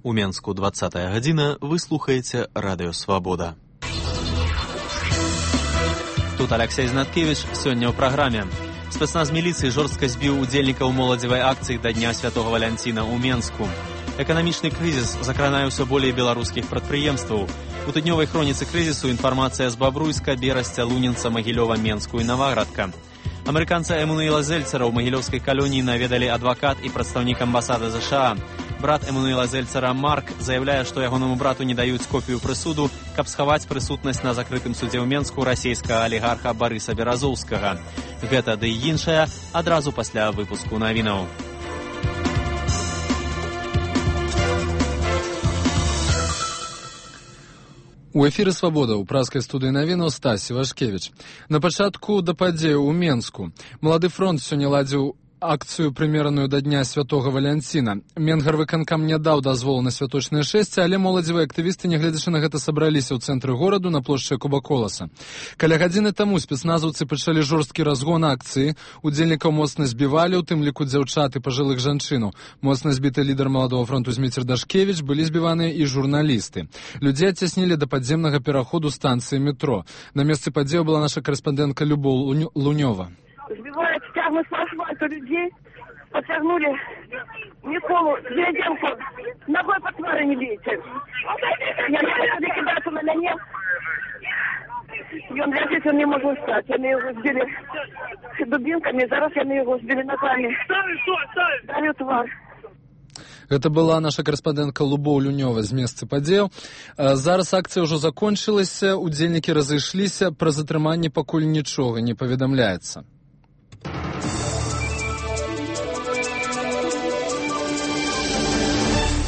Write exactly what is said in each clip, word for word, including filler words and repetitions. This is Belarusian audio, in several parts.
У Менску двадцатая гадзіна, вы слухаеце Радыё Свабода. Тут Алексей Знаткевич, сёння ў праграме. Спецназ міліцыі жорстка збіў удзельнікаў моладзевай акцыі да Дня Святога Валянціна ў Менску. Эканамічны крызіс закранае ўсё болей беларускіх прадпрыемстваў. У тыднёвай хроніцы крызісу інфармацыя з Бабруйска, Берасця, Лунінца, Магілёва, Менску і Наваградка. Амерыканца Эммануэла Зельцара ў магілёўскай калоніі наведалі адвакат і прадстаўнік амбасады ЗША. Брат Эммануэла Зельцара Марк заяўляе, што ягонаму брату не даюць копію прысуду, каб схаваць прысутнасць на закрытым судзе ў Менску расійскага алігарха Барыса Беразоўскага. Гэта ды і іншае адразу пасля выпуску навінаў. У эфіры «Свабода» ў праскай студыі навінаў Стасі Вашкевіч. На пачатку да падзею ў Менску. Малады фронт сёння ладзіў акцыю, прымераную да Дня Святога Валянціна. Менгарвыканкам не даў дазволу на святочнае шэсце, але моладзевыя актывісты, нягледзячы на гэта, сабраліся ў цэнтры гораду на плошчы Куба-Коласа. Каля гадзіны таму спецназаўцы пачалі жорсткі разгон акцыі. Удзельнікаў моцна збівалі, у тым ліку дзяўчат і пажылых жанчыну. Моцна збіты лідар маладога фронту Зміцер Дашкевіч, былі збіваныя і журналісты. Людзей адцяснілі да падземнага пераходу станцыі метро. На месцы падзею была наша корэспандэнтка Любоў Лунёва. Сбивают, тягнут с асфальта людей, подтягнули Николу Деревенко, ногой по твари не бейте. Я не хочу кидаться на меня. И он лежит, он не может встать. Они его сбили дубинками, зараз они его сбили ногами. Дали тварь. Гэта была наша корэспандэнтка Любоў Лунёва з месца падзеяў. Зараз акцыя ўжо закончылася, удзельнікі разышліся, пра затрыманне пакуль нічога не паведамляецца.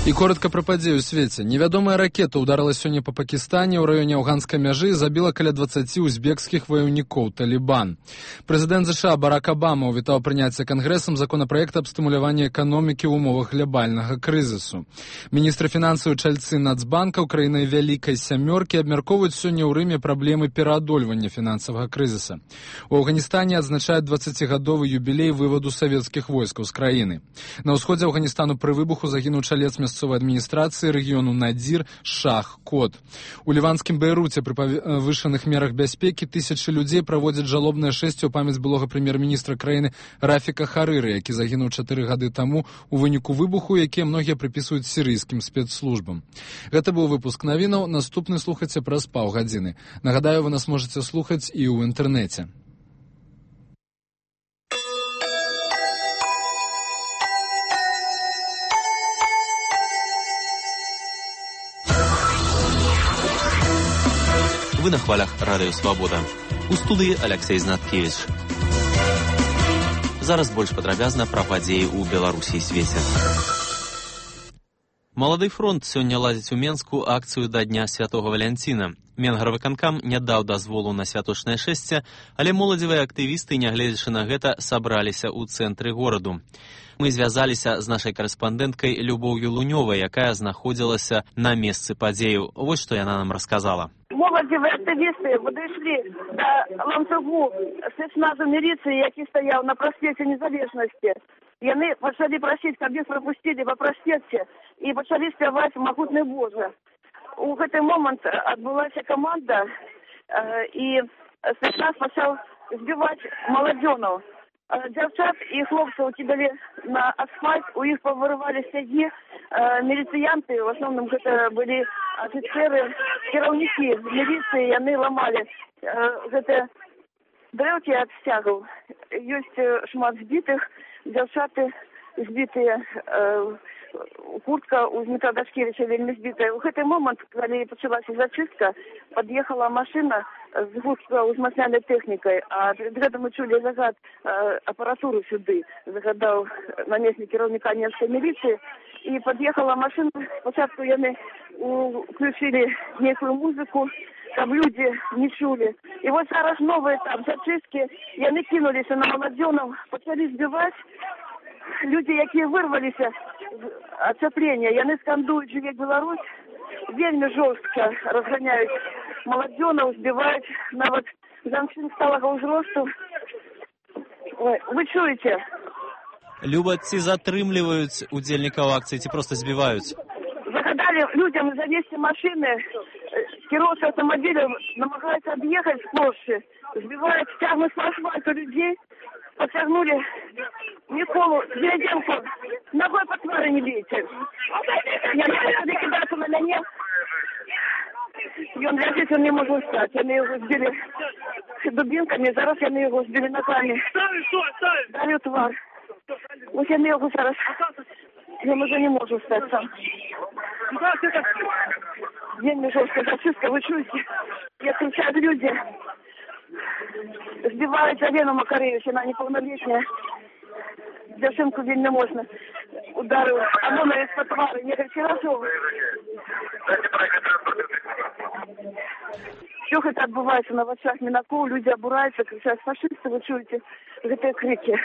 І коротка пра падзею ў свеце. Невядомая ракета ўдарыла сёння па Пакістане ў раёне афганскай мяжы і забіла каля дваццаці узбекскіх ваяўнікоў Талібан. Прэзідэнт ЗША Барак Абама ўвітаў прыняцце кангрэсам законапраект аб стымуляванні эканомікі ў умовах глобальнага крызісу. Міністры фінансаў і чальцы Нацбанка ў краінай Вялікай Сямёркі абмяркоўваюць сёння ў Рыме праблемы пераадольвання фінансавага крызіса. У Афганістане адзначаюць дваццацігадовы юбілей вываду савецкіх войскаў з краіны. На ўсходзе Афганістану пры выбуху загінуў чалец мясцовай адміністрацыі рэгіёну Надзір Шах Кот. У ліванскім Бейруце пры павышаных мерах бяспекі тысячы людзей праводзяць жалобнае шэсце ў памяць былога прэм'ер-міністра краіны Рафіка Харыры, які загінуў чатыры гады таму у выніку выбуху, якія многія прыпісваюць сірыйскім спецслужбам. Гэта быў выпуск навінаў, наступны слухайце праз паўгадзіны. Нагадаю, вы нас можаце слухаць і ў інтэрнэце. Вы на хвалях Радыё Свабода. У студыі Алексей Знаткевич. Зараз больш падрабязна пра падзеі ў Беларусі і свеце. Малады фронт сёння ладзіць у Менску акцыю да Дня Святога Валянціна. Менгарвыканкам не даў дазволу на святочнае шэсце, але моладзевыя актывісты, нягледзячы на гэта, сабраліся ў цэнтры гораду. Мы звязаліся з нашай корэспандэнткай Любоўю Лунёвай, якая знаходзілася на месцы падзею. Вось што яна нам расказала. Моладзевыя актывісты падышлі да ланцугу спецназу міліцыі, які стаяў на праспекце Незалежнасці. Яны пачалі прасіць, каб іх прапусцілі па праспекце, і пачалі спяваць «Магутны Божа». У гэты момант адбылася каманда, і спецназ пачаў збіваць маладзёнаў. Дзяўчат і хлопцаў кідалі на асфальт, у іх павырывалі сцягі, міліцыянты, в асноўным гэта былі афіцеры, кіраўнікі міліцыі, яны ламалі гэтыя дрэўкі ад сцягаў. Ёсць шмат збітых, дзяўчаты збітыя, куртка у Змітра Дашкевіча вельмі збітая. У гэты момант, калі пачалася зачыстка, пад'ехала машына з густка узмацнялай тэхнікай, а перед гэтым мы чулі загад апаратуру сюды, загадаў намеснік кіраўніка Менскай міліцыі, і пад'ехала машына, спачатку яны уключілі нейкую музыку, каб людзі не чулі. І вось зараз новы этап зачысткі, яны кінуліся на маладзёнаў, пачалі збіваць. Людзі, якія вырваліся з ацяплення, яны скандуюць «Жыве Беларусь», вельмі жорстка разганяюць маладзёнаў, збіваюць нават жанчын сталага ўзросту. Ой, вы чуеце? Люба, ці затрымліваюць удзельнікаў акцыі, ці проста збіваюць? загадали людям завести машины, кировцы автомобиля намагаются объехать сплошь, сбивают, тягнут по асфальту людей, подтягнули Николу Деревенко, ногой по твари не бейте. Я начала кидаться на меня. И он лежит, он не может встать. Они его сбили дубинками, зараз они его сбили ногами. Дали тварь. Ось я его зараз. Я уже не могу встать сам. День жесткая фашистка, вы чуете? Я кричат люди. Сбивают Алену Макаревич, она неполнолетняя. Дзержинку вельми можна. Ударив, а вона із-под твари, некілька разів. Все это отбывается на очах Минакова, люди обураются, кричат фашисты, вы чуете эти крики.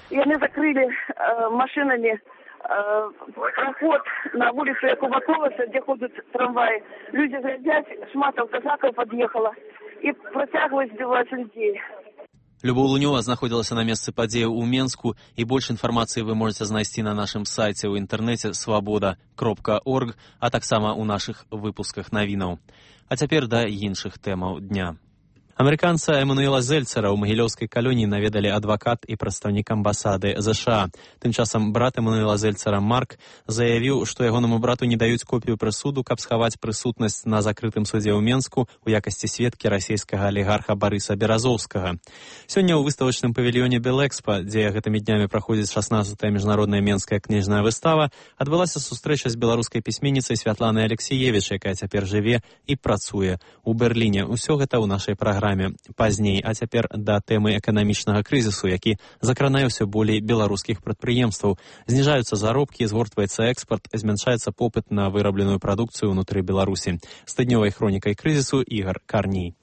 И они закрыли э, машинами э, проход на улицу Якова Колоса, где ходят трамваи. Люди глядят, шматов казаков подъехала и протягивают, сбивать людей. Любоў Лунёва знаходзілася на месцы падзеі ў Менску, і больш інфармацыі вы можаце знайсці на нашым сайце ў інтэрнэце свабода кропка орг, а таксама ў нашых выпусках навінаў. А цяпер да іншых тэмаў дня. Амерыканца Эмануэла Зельцера ў магілёўскай калоніі наведалі адвакат і прадстаўнік амбасады ЗША. Тым часам брат Эмануэла Зельцера Марк заявіў, што ягонаму брату не даюць копію прысуду, каб схаваць прысутнасць на закрытым судзе ў Менску ў якасці сведкі расійскага алігарха Барыса Беразоўскага. Сёння ў выставачным павільёне Белэкспа, дзе гэтымі днямі праходзіць шаснаццатая міжнародная менская кніжная выстава, адбылася сустрэча з беларускай пісьменніцай Святланай Алексіевіч, якая цяпер жыве і працуе ў Берліне. Усё гэта ў нашай праграме пазней, а цяпер да тэмы эканамічнага крызісу, які закранае ўсё болей беларускіх прадпрыемстваў. Зніжаюцца заробкі, згортваецца экспарт, змяншаецца попыт на вырабленую прадукцыю ўнутры Беларусі. З тыднёвай хронікай крызісу Ігар Карній.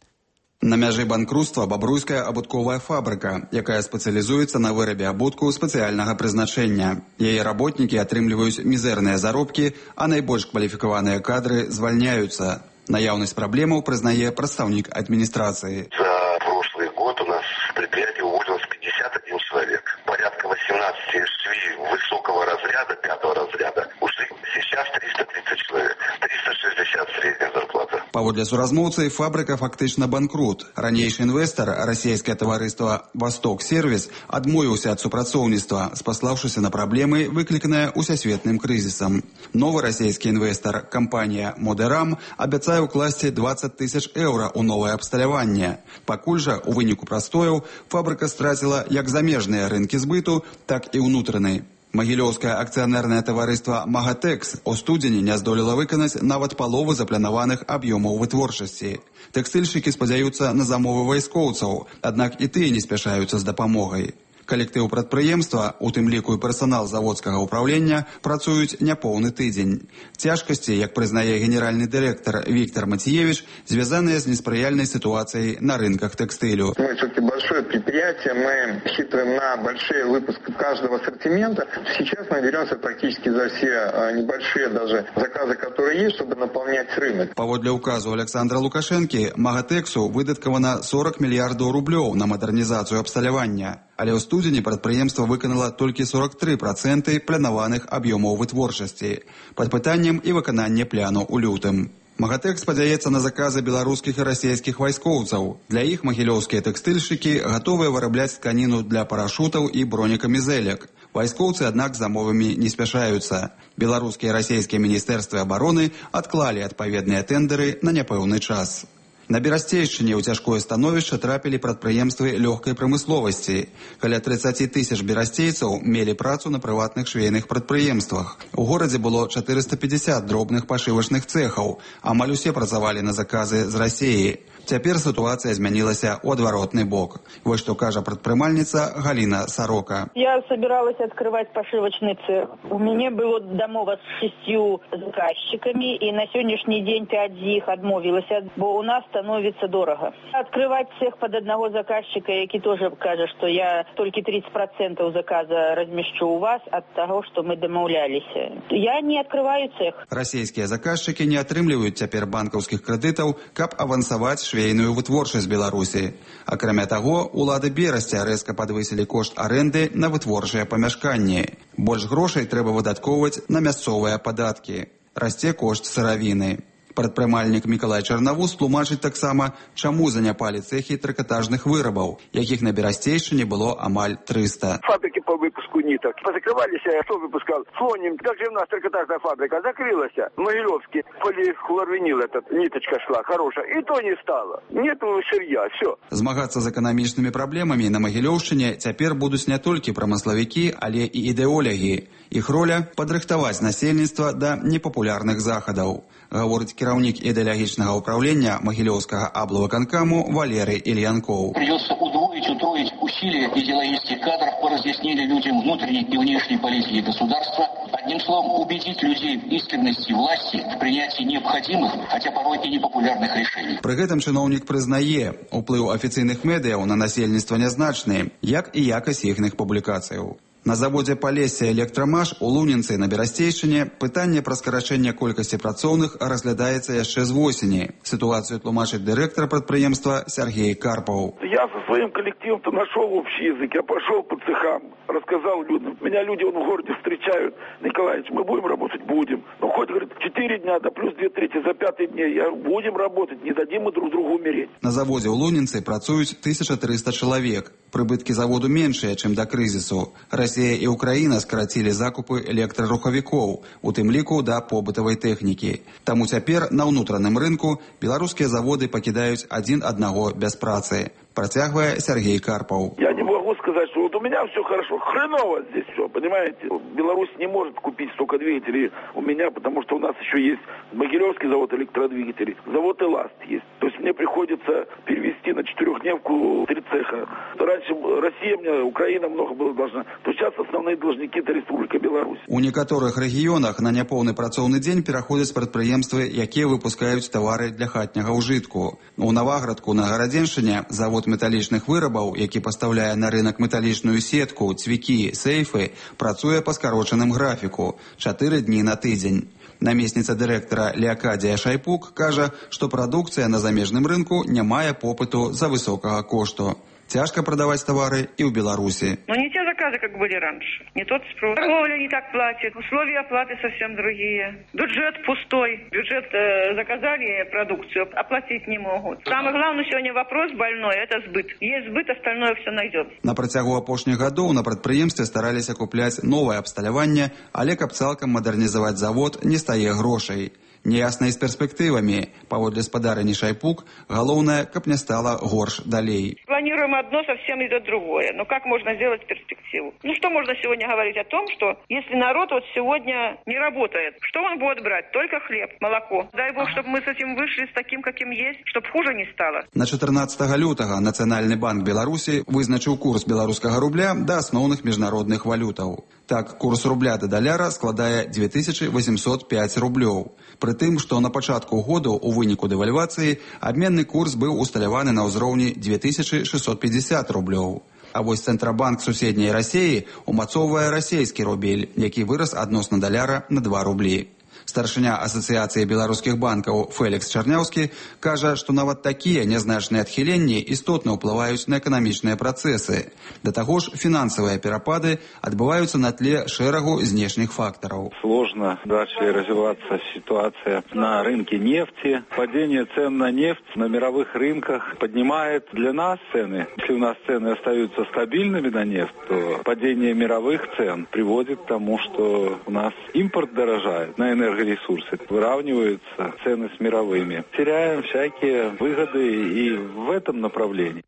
На мяжы банкруцтва бабруйская абутковая фабрыка, якая спецыялізуецца на вырабе абутку спецыяльнага прызначэння. Яе работнікі атрымліваюць мізэрныя заробкі, а найбольш кваліфікаваныя кадры звальняюцца. Наяўнасць праблемаў прызнае прадстаўнік адміністрацыі. За прошлый год у нас в предприятии уволилось пятьдесят один человек. Порядка восемнадцать швей высокого разряда, пятого разряда. Ушли сейчас триста тридцать человек. триста шестьдесят средняя зарплата. Паводле суразмоўцы, фабрыка фактычна банкрут. Ранейшы інвестар, расійскае таварыства «Восток Сервіс», адмовіўся ад супрацоўніцтва, спаслаўшыся на праблемы, выкліканыя усесветным крызісам. Новы расійскі інвестар, кампанія «Модерам», абяцае укласці двадцать тысяч еўра ў новае абсталяванне. Пакуль жа, у выніку прастояў, фабрыка страціла як замежныя рынкі збыту, так і ўнутраны. Магілёўскае акцыянернае таварыства «Магатэкс» у студзені не здолела выканаць нават палову запланаваных аб'ёмаў вытворчасці. Тэкстыльшчыкі спадзяюцца на замовы вайскоўцаў, аднак і тыя не спяшаюцца з дапамогай. Калектыў прадпрыемства, у тым ліку і персанал заводскага ўпраўлення, працуюць няпоўны тыдзень. Цяжкасці, як прызнае генеральны дырэктар Виктор Матиевич, звязаныя з неспрыяльнай ситуацией на рынках текстилю. Мы все-таки большое предприятие, мы рассчитываем на большие выпуски каждого ассортимента. Сейчас мы беремся практически за все небольшие даже заказы, которые есть, чтобы наполнять рынок. Паводле указу Александра Лукашенки, Магатексу выдаткавана сорок мільярдаў рублёў на мадэрнізацыю абсталявання. Але ў студзені прадпрыемства выканала толькі сорок тры працэнты планаваных аб'ёмаў вытворчасці. Пад пытаннем і выкананне пляну ў лютым. Магатэк спадзяецца на заказы беларускіх і расійскіх вайскоўцаў. Для іх магілёўскія тэкстыльшчыкі гатовыя вырабляць тканіну для парашутаў і бронекамізэлек. Вайскоўцы, аднак, замовамі не спяшаюцца. Беларускія і расійскія міністэрствы абароны адклалі адпаведныя тэндэры на няпэўны час. На Берасцейшчыне ў цяжкое становішча трапілі прадпрыемствы лёгкай прамысловасці. Каля тридцать тысяч берасцейцаў мелі працу на прыватных швейных прадпрыемствах. У горадзе было четыреста пятьдесят дробных пашывачных цэхаў. Амаль усе працавалі на заказы з Расіі. Цяпер сітуацыя змянілася ў адваротны бок. Вось што кажа прадпрымальніца Галина Сорока. Я собиралась открывать пошивочный цех. У меня было домова с шестью заказчиками, и на сегодняшний день пять из них отмовилась, бо у нас становится дорого. Открывать цех под одного заказчика, який тоже каже, что я только тридцать процентов заказа размещу у вас от того, что мы домовлялись. Я не открываю цех. Расійскія заказчики не атрымліваюць цяпер банкаўскіх крэдытаў, каб авансаваць швейную вытворчасць Беларусі. Акрамя таго, улады Берасця рэзка падвысілі кошт арэнды на вытворчыя памяшканні. Больш грошай трэба выдаткоўваць на мясцовыя падаткі. Расце кошт сыравіны. Прадпрымальнік Мікалай Чарнавуз тлумачыць таксама, чаму заняпалі цэхі трыкатажных вырабаў, якіх на Берасцейшчыне было амаль трыста. Фабрики по выпуску ниток позакрывались, кто выпускал? Флоним. Как же у нас трикотажная фабрика закрылась? Могилевский полихлорвинил, этот ниточка шла хорошая, и то не стало. Нету сырья, все. Змагацца з эканамічнымі праблемамі на Магілёўшчыне цяпер будуць не толькі прамыславікі, але і ідэолягі. Іх роля – падрыхтаваць насельніцтва да непапулярных захадаў, гаворыць кіраўнік ідэалагічнага ўправлення Магілёўскага аблвыканкаму Валерый Ильянков. Придется удвоить, утроить усилия идеологических кадров по разъяснению людям внутренней и внешней политики государства. Одним словом, убедить людей в искренности власти в принятии необходимых, хотя порой и непопулярных решений. Пры гэтым чыноўнік прызнае, уплыў афіцыйных медыяў на насельніцтва нязначны, як і якасць іхных публікацыяў. На заводзе Палесся Электрамаш у Лунінцы на Берасцейшчыне пытанне пра скарачэнне колькасці працоўных разглядаецца яшчэ з восені. Ситуацию тлумачыць дырэктар прадпрыемства Сергей Карпов. Я со своим коллективом-то нашел общий язык, я пошел по цехам, рассказал людям. Меня люди вон в городе встречают. Николаевич, мы будем работать? Будем. Ну хоть, говорит, четыре дня, да плюс две трети за пятый день. Я говорю, будем работать, не дадим мы друг другу умереть. На заводе у Лунінцы працуюць тысяча трыста чалавек. Прыбыткі заводу меншыя, чым да крызісу. Расія і Украіна скарацілі закупы электрарухавікоў, у тым ліку да побытавай тэхнікі. Таму цяпер на ўнутраным рынку беларускія заводы пакідаюць адзін аднаго без працы. Протягивая Сергей Карпов. Я не могу сказать, что вот у меня все хорошо, хреново здесь все, понимаете? Беларусь не может купить столько двигателей у меня, потому что у нас еще есть Могилевский завод электродвигателей, завод «Эласт» есть. То есть мне приходится перевести на четырехдневку три цеха. Раньше Россия мне, Украина много было должна, то сейчас основные должники – это Республика Беларусь. У некаторых рэгіёнах на няпоўны працоўны дзень пераходзяць прадпрыемствы, якія выпускаюць тавары для хатняга ўжытку. У Наваградку на Гарадзеншчыне завод металічных вырабаў, які пастаўляе на рынок металічную сетку, цвікі, сейфы, працуе па скарочаным графіку – чатыры дні на тыдзень. Намесніца дырэктара Леакадія Шайпук кажа, што прадукцыя на замежным рынку не мае попыту за высокага кошту. Тяжко продавать товары и в Беларуси. Но не те заказы, как были раньше. Не тот спрос. Торговля не так платит. Условия оплаты совсем другие. Бюджет пустой. Бюджет э, заказали продукцию, оплатить не могут. Самый главный сегодня вопрос больной – это сбыт. Есть сбыт, остальное все найдет. На працягу апошніх гадоў на прадпрыемстве стараліся купляць новае абсталяванне, але каб цалкам мадэрнізаваць завод не стае грошай. Неясна і з перспектывамі. Паводле спадарыні Шайпук, галоўнае, каб не стала горш далей. Планируем одно, совсем идет другое. Но как можно сделать перспективу? Ну что можно сегодня говорить о том, что если народ вот сегодня не работает, что он будет брать? Только хлеб, молоко. Дай Бог, чтобы мы с этим вышли с таким, каким есть, чтобы хуже не стало. На чатырнаццатага лютага Нацыянальны банк Беларусі вызначыў курс беларускага рубля да асноўных міжнародных валютаў. Так, курс рубля да даляра складае дзве тысячы восемьсот пяць рублёў. Пры тым, што на пачатку году у выніку дэвальвацыі абменны курс быў усталяваны на ўзроўні дзве тысячы шэсцьсот пятьдесят рублёў. А вось Цэнтрабанк суседняй Расіі умацоўвае расійскі рубель, які вырас адносна даляра на два рублі. Старшыня Асацыяцыі беларускіх банкаў Фэлікс Чарняўскі кажа, што нават такія нязначныя адхіленні істотна ўплываюць на эканамічныя працэсы. Да таго ж, фінансавыя перапады адбываюцца на тле шэрагу знешніх фактараў. Сложно дальше развиваться ситуация на рынке нефти. Падение цен на нефть на мировых рынках поднимает для нас цены. Если у нас цены остаются стабильными на нефть, то падение мировых цен приводит к тому, что у нас импорт дорожает на энергию. Ресурсы выравниваются цены с мировыми. Теряем всякие выгоды и в этом направлении.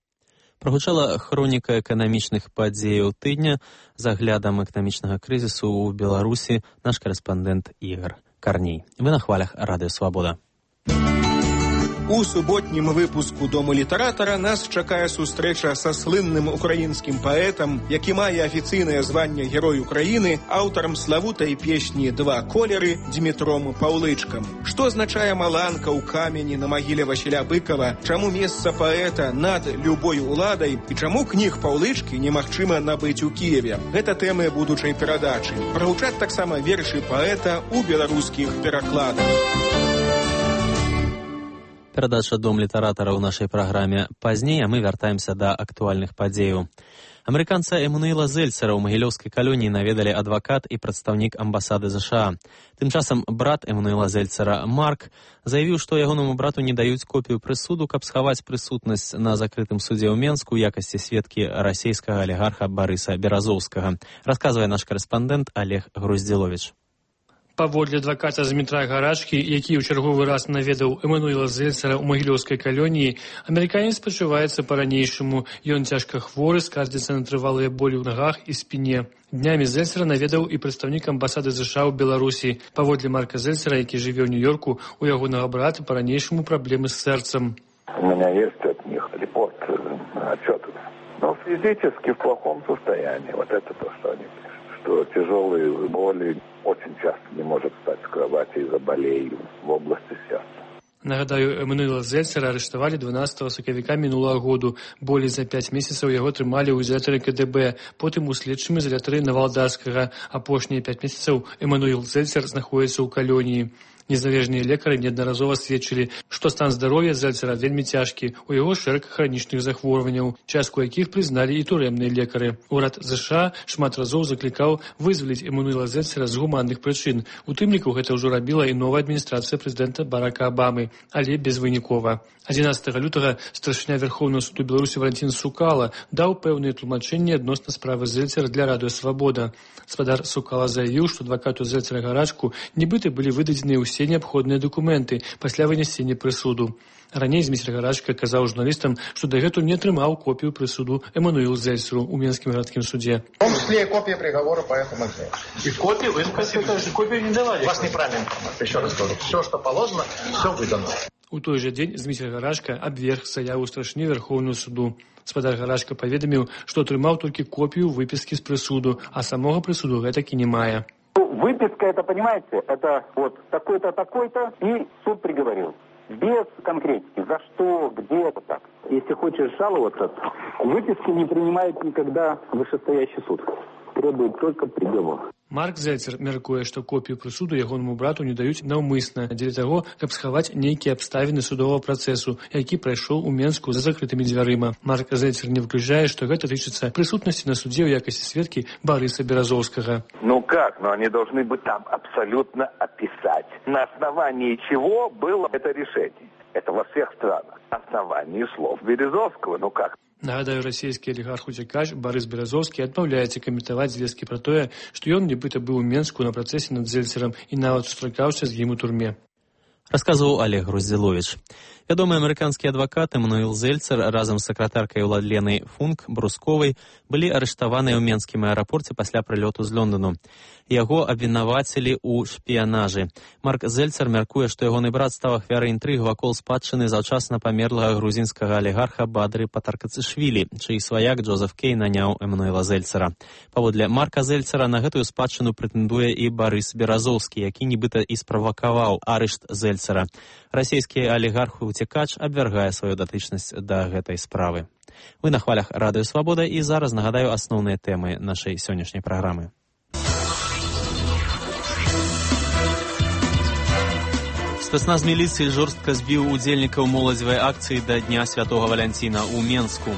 Прагучала хроніка эканамічных падзеяў тыдня з аглядам эканамічнага крызісу ў Беларусі наш карэспандэнт Ігор Карней. Вы на хвалях Радыё Свабода. У суботнім выпуску «Дому літаратара» нас чакае сустрэча са слынным украінскім паэтам, які мае афіцыйнае званне Герой Украіны, аўтарам славутай песні «Два колеры» Дмітром Паўлычкам. Што азначае маланка ў камені на магіле Васіля Быкова, чаму месца паэта над любой уладай і чаму кніг Паўлычкі немагчыма набыць у Кіеве. Гэта тэмы будучай перадачы. Прагучаць таксама вершы паэта ў беларускіх перакладах. Перадача «Дом літаратара» ў нашай праграме пазней, а мы вяртаемся да актуальных падзеяў. Амерыканца Эммануэла Зельцера ў магілёўскай калоніі наведалі адвакат і прадстаўнік амбасады ЗША. Тым часам брат Эммануэла Зельцера, Марк, заявіў, што ягонаму брату не даюць копію прысуду, каб схаваць прысутнасць на закрытым судзе ў Менску ў якасці сведкі расійскага алігарха Барыса Беразоўскага. Расказвае наш карэспандэнт Олег Груздзіловіч. Паводле адваката з Дмітра Гарачкі, які ў чарговы раз наведаў Эммануэла Зельцера ў магілёўскай калоніі, амерыканец пачуваецца па-ранейшаму. Ён цяжка хворы, скардзіцца на трывалыя болі ў нагах і спіне. Днямі Зельцера наведаў і прадстаўнік амбасады ЗША ў Беларусі. Паводле Марка Зельцера, які жыве ў Нью-Йорку, у ягонага брата па-ранейшаму праблемы з сэрцам. У меня есть от них репорт, отчет. Но физически в плохом состоянии. Вот это то, что они пишут. Что тяжелые боли, очень часто не может встать с кровати из-за болей в области сердца. Нагадаю, Эммануэла Зельцера арыштавалі дванаццатага сакавіка мінулага году. Болей за пяць месяцаў яго трымалі ў ізалятары КДБ, потым у следчым ізалятары Навалдаскага. Апошнія пяць месяцаў Эммануэл Зельцер знаходзіцца ў калоніі. Незалежныя лекары неаднаразова сведчылі, што стан здароўя Зельцера вельмі цяжкі, у яго шэраг хранічных захворванняў, частку якіх прызналі і турэмныя лекары. Урад ЗША шмат разоў заклікаў вызваліць Эммануэла Зельцера з гуманных прычын. У тым ліку гэта ўжо рабіла і новая адміністрацыя прэзідэнта Барака Абамы, але безвынікова. адзінаццатага лютага старшыня Верховнага суду Беларусі Валентин Сукала даў пэўныя тлумачэнні адносна справы Зельцера для Радыё Свабода. Спадар Сукала заявіў, што адвакату Зельцера Гарачку нібыта былі выдадзеныя ўсе неабходныя дакументы пасля вынесення прысуду. Раней Дмітрий Гарачка казаў журналістам, што дагэтуль не атрымаў копію прысуду Эммануэлу Зельцеру ў Менскім гарадскім суде. В том числе и копия приговора по этому делу. И копию вы копию не давали. У вас неправильная информация. Еще раз говорю, все, что положено, все выдано. У той жа дзень Дмітрий Гарачка абверг заяву старшыні Верховнага суду. Спадар Гарачка паведаміў, што атрымаў толькі копію выпіскі з прысуду, а самога прысуду гэтакі не мае. Выписка, это, понимаете, это вот такой-то, такой-то, и суд приговорил. Без конкретики, за что, где это так. Если хочешь жаловаться, выписки не принимает никогда вышестоящий суд. Требует только приговор. Марк Зельцер мяркуе, што копію прысуду ягонаму брату не даюць наўмысна дзеля таго, каб схаваць нейкія абставіны судовага працэсу, які прайшоў у Менску за закрытымі дзвярыма. Марк Зельцер не выключае, што гэта тычыцца прысутнасці на суде ў якасці сведкі Барыса Беразоўскага. Ну как? Ну они должны быть там абсолютно описать, на основании чего было это решение. Это во всех странах. На основании слов Березовского. Ну как? Нагадаю, расійскі алігарх-уцякач Барыс Беразоўскі адмаўляецца каментаваць звесткі пра тое, што ён нібыта быў у Менску на працэсе над Зельцерам і нават сустракаўся з ім у турме. Расказваў Олег Груздзіловіч. Вядомы амерыканскі адвакат Эммануэл Зельцер разам з сакратаркай Уладленай Функ Брусковай былі арыштаваныя ў Менскім аэрапорце пасля прылёту з Лондону. Яго абвінавацілі ў шпіянажы. Марк Зельцер мяркуе, што ягоны брат стаў ахвярай інтрыг вакол спадчыны заўчасна памерлага грузінскага алігарха Бадры Патаркацышвілі, чый сваяк Джозеф Кей наняў Эммануэла Зельцера. Паводле Марка Зельцера на гэтую спадчыну прэтэндуе і Барыс Беразоўскі, які нібыта і справакаваў арышт Зельцера. Расійскі алігарх-уцякач абвяргае сваю датычнасць да гэтай справы. Вы на хвалях Радыё Свабода, і зараз нагадаю асноўныя тэмы нашай сённяшняй праграмы. Спецназ міліцыі жорстка збіў удзельнікаў моладзевай акцыі да Дня Святога Валянціна ў Менску.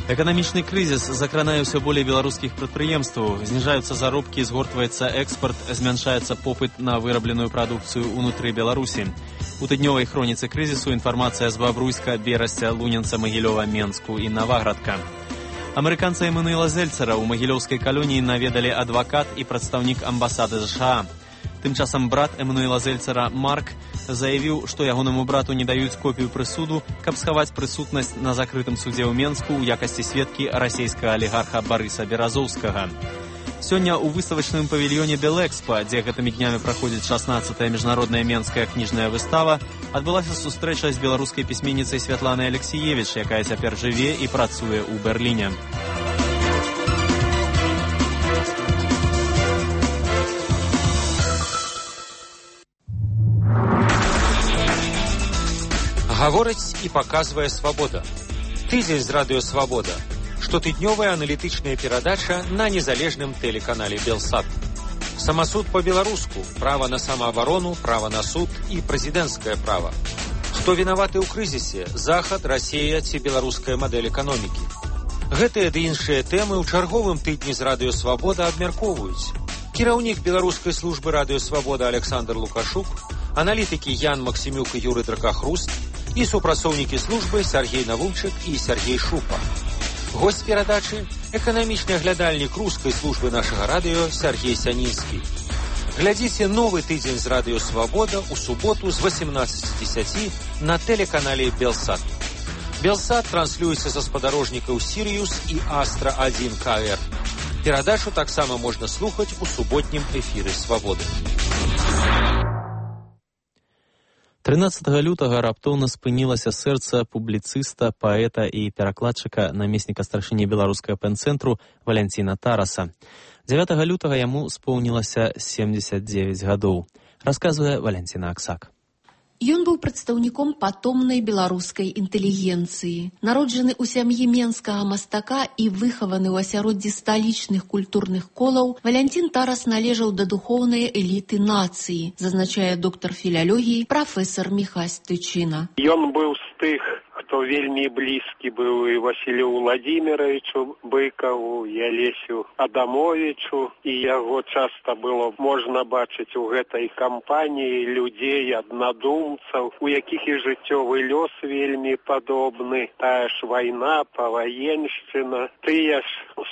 Эканамічны крызіс закранае ўсё болей беларускіх прадпрыемстваў, зніжаюцца заробкі, згортваецца экспарт, змяншаецца попыт на вырабленую прадукцыю ўнутры Беларусі. У тыднёвай хроніцы крызісу інфармацыя з Бабруйска, Берасця, Лунінца, Магілёва, Менску і Наваградка. Амерыканца Эммануэла Зельцера ў магілёўскай калоніі наведалі адвакат і прадстаўнік амбасады ЗША. Тым часам брат Эммануэла Зельцера Марк заявіў, што ягонаму брату не даюць копію прысуду, каб схаваць прысутнасць на закрытым судзе ў Менску ў якасці сведкі расійскага алігарха Барыса Беразоўскага. Сёння ў выставачным павільёне Белэкспа, дзе гэтымі днямі праходзіць шаснаццатая міжнародная менская кніжная выстава, адбылася сустрэча з беларускай пісьменніцай Святланай Алексіевіч, якая цяпер жыве і працуе ў Берліне. Гаворыць і паказвае Свабода. Тызель з Радыё Свабода. Штотыднёвая аналітычная перадача на незалежным тэлеканале Белсат. Самасуд по-беларуску, права на самаабарону, права на суд і прэзідэнцкае права. Хто вінаваты ў крызісе? Захад, Расія ці беларуская мадэль эканомікі? Гэтыя ды іншыя тэмы ў чарговым тыдні з Радыё Свабода абмяркоўваюць. Кіраўнік беларускай службы Радыё Свабода Александр Лукашук, аналітыкі Ян Максімюк і Юры Дракахруст і супрацоўнікі службы Сергей Навумчык і Сергей Шупа. Госць перадачы – эканамічны аглядальнік рускай службы нашага радыё Сергей Сянінскі. Глядзіце новы тыдзень з Радыё Свабода ў суботу з восемнадцати десяти на тэлеканале Белсат. Белсат транслюецца са спадарожнікаў Сірыюс і Астра один ка эр. Перадачу таксама можна слухаць у суботнім эфіры Свабоды. трынаццатага лютага раптоўна спынілася сэрца публіцыста, паэта і перакладчыка, намесніка старшыні беларускага пэн-цэнтру Валянціна Тараса. дзевятага лютага яму споўнілася семьдесят девять гадоў. Расказвае Валянціна Аксак. Ён быў прадстаўніком патомнай беларускай інтэлігенцыі. Народжаны ў сям'і менскага мастака і выхаваны ў асяроддзі сталічных культурных колаў, Валянцін Тарас належаў да духоўнай эліты нацыі, зазначае доктар філялогіі прафесар Міхась Тычына. Ён быў з тых, хто вельмі блізкі быў і Васілю Владимировичу Быкаву, і Алесю Адамовичу, і яго часта было можна бачыць у гэтай кампаніі людзей, аднадумцаў, у якіх і жыццёвы лёс вельмі падобны, тая ж вайна, паваеншчына, тыя ж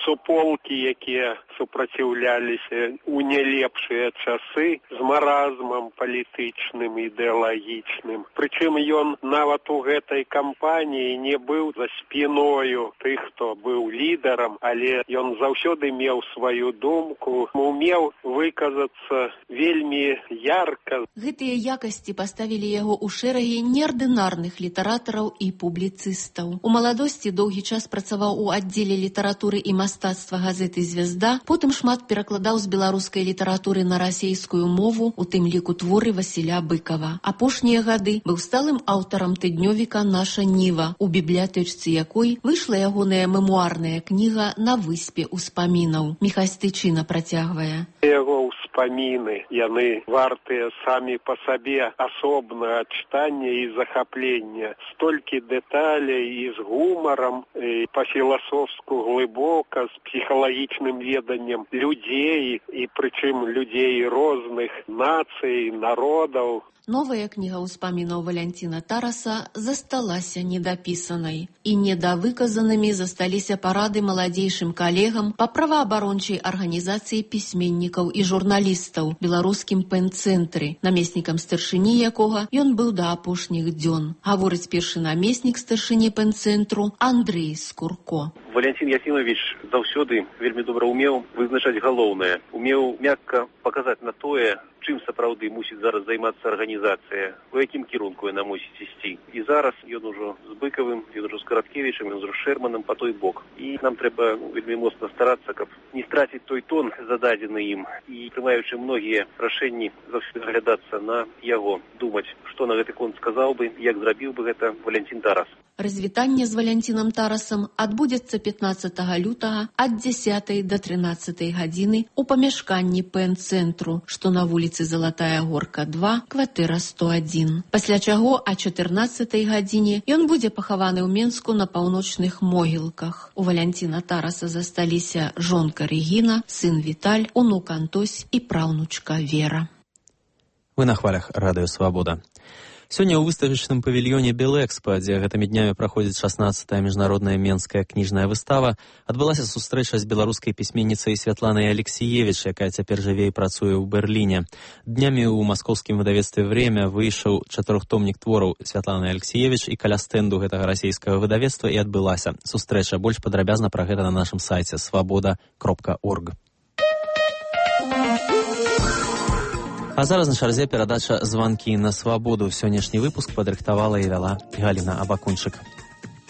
суполкі, якія супраціўляліся у нелепшыя часы з маразмам палітычным, ідэалагічным. Прычым ён нават у гэтай кампаніі не быў за спіною тых, хто быў лідарам, але ён заўсёды меў сваю думку, умеў выказацца вельмі ярка. Гэтыя якасці паставілі яго ў шэрагі неардынарных літаратараў і публіцыстаў. У маладосці доўгі час працаваў у аддзеле літаратуры і мастацтва газеты «Звезда», потым шмат перакладаў з беларускай літаратуры на расейскую мову, у тым ліку творы Васіля Быкава. Апошнія гады быў сталым аўтарам тыднёвіка «Наша Ніва», у бібліятэчцы якой выйшла ягоная мемуарная кніга «На выспе ўспамінаў». Міхась Тычына працягвае. Яго ўспаміны, яны вартыя самі па сабе асобнага чытання і захаплення. Столькі дэталей і з гумарам, і па-філасофску глыбока, з псіхалагічным веданнем людзей, і прычым людзей розных нацый, народаў. Новая кніга ўспамінаў Валянціна Тараса засталася недапісанай. І недавыказанымі засталіся парады маладзейшым калегам па праваабарончай арганізацыі пісьменнікаў і журналістаў беларускім пэн-цэнтры, намеснікам старшыні якога ён быў да апошніх дзён. Гаворыць першы намеснік старшыні пэн-цэнтру Андрэй Скурко. Валянцін Яфімавіч заўсёды вельмі добра умеў вызначаць галоўнае, умеў мякка паказаць на тое, чым сапраўды мусіць зараз займацца арганізацыя, у якім кірунку яна мусіць ісці. І зараз ён ужо з Быкавым, ён ужо з Караткевічам, ён ужо з Шэрманам па той бок. І нам трэба вельмі моцна старацца, каб не страціць той тон, зададзены ім. І прымаючы многія рашэнні, заўсёды аглядацца на яго, думаць, што на гэты конт сказаў бы, як зрабіў бы гэта Валянцін Тарас. Развітанне з Валянцінам Тарасам адбудзецца пятнаццатага лютага ад дзесятай да трынаццатай гадзіны ў памяшканні пэн-цэнтру, што на вуліцы Залатая Горка два, кватэра сто адзін. Пасля чаго а чатырнаццатай гадзіне ён будзе пахаваны ў Менску на паўночных могілках. У Валянціна Тараса засталіся жонка Рэгіна, сын Віталь, унук Антось і праўнучка Вера. Вы на хвалях Радыё Свабода. Сёння ў выставачным павільёне Белэкспа, дзе гэтымі днямі праходзіць шаснаццатая міжнародная менская кніжная выстава, адбылася сустрэча з беларускай пісьменніцай Святланай Алексіевіч, якая цяпер жыве і працуе ў Берліне. Днямі ў маскоўскім выдавецтве «Время» выйшаў чатырохтомнік твораў Святланы Алексіевіч, і каля стэнду гэтага расійскага выдавецтва і адбылася сустрэча. Больш падрабязна пра гэта на нашым сайце свабода кропка орг. А зараз на чарзе перадача «Званкі на свабоду». Сённяшні выпуск падрыхтавала і вяла Галіна Абакунчык.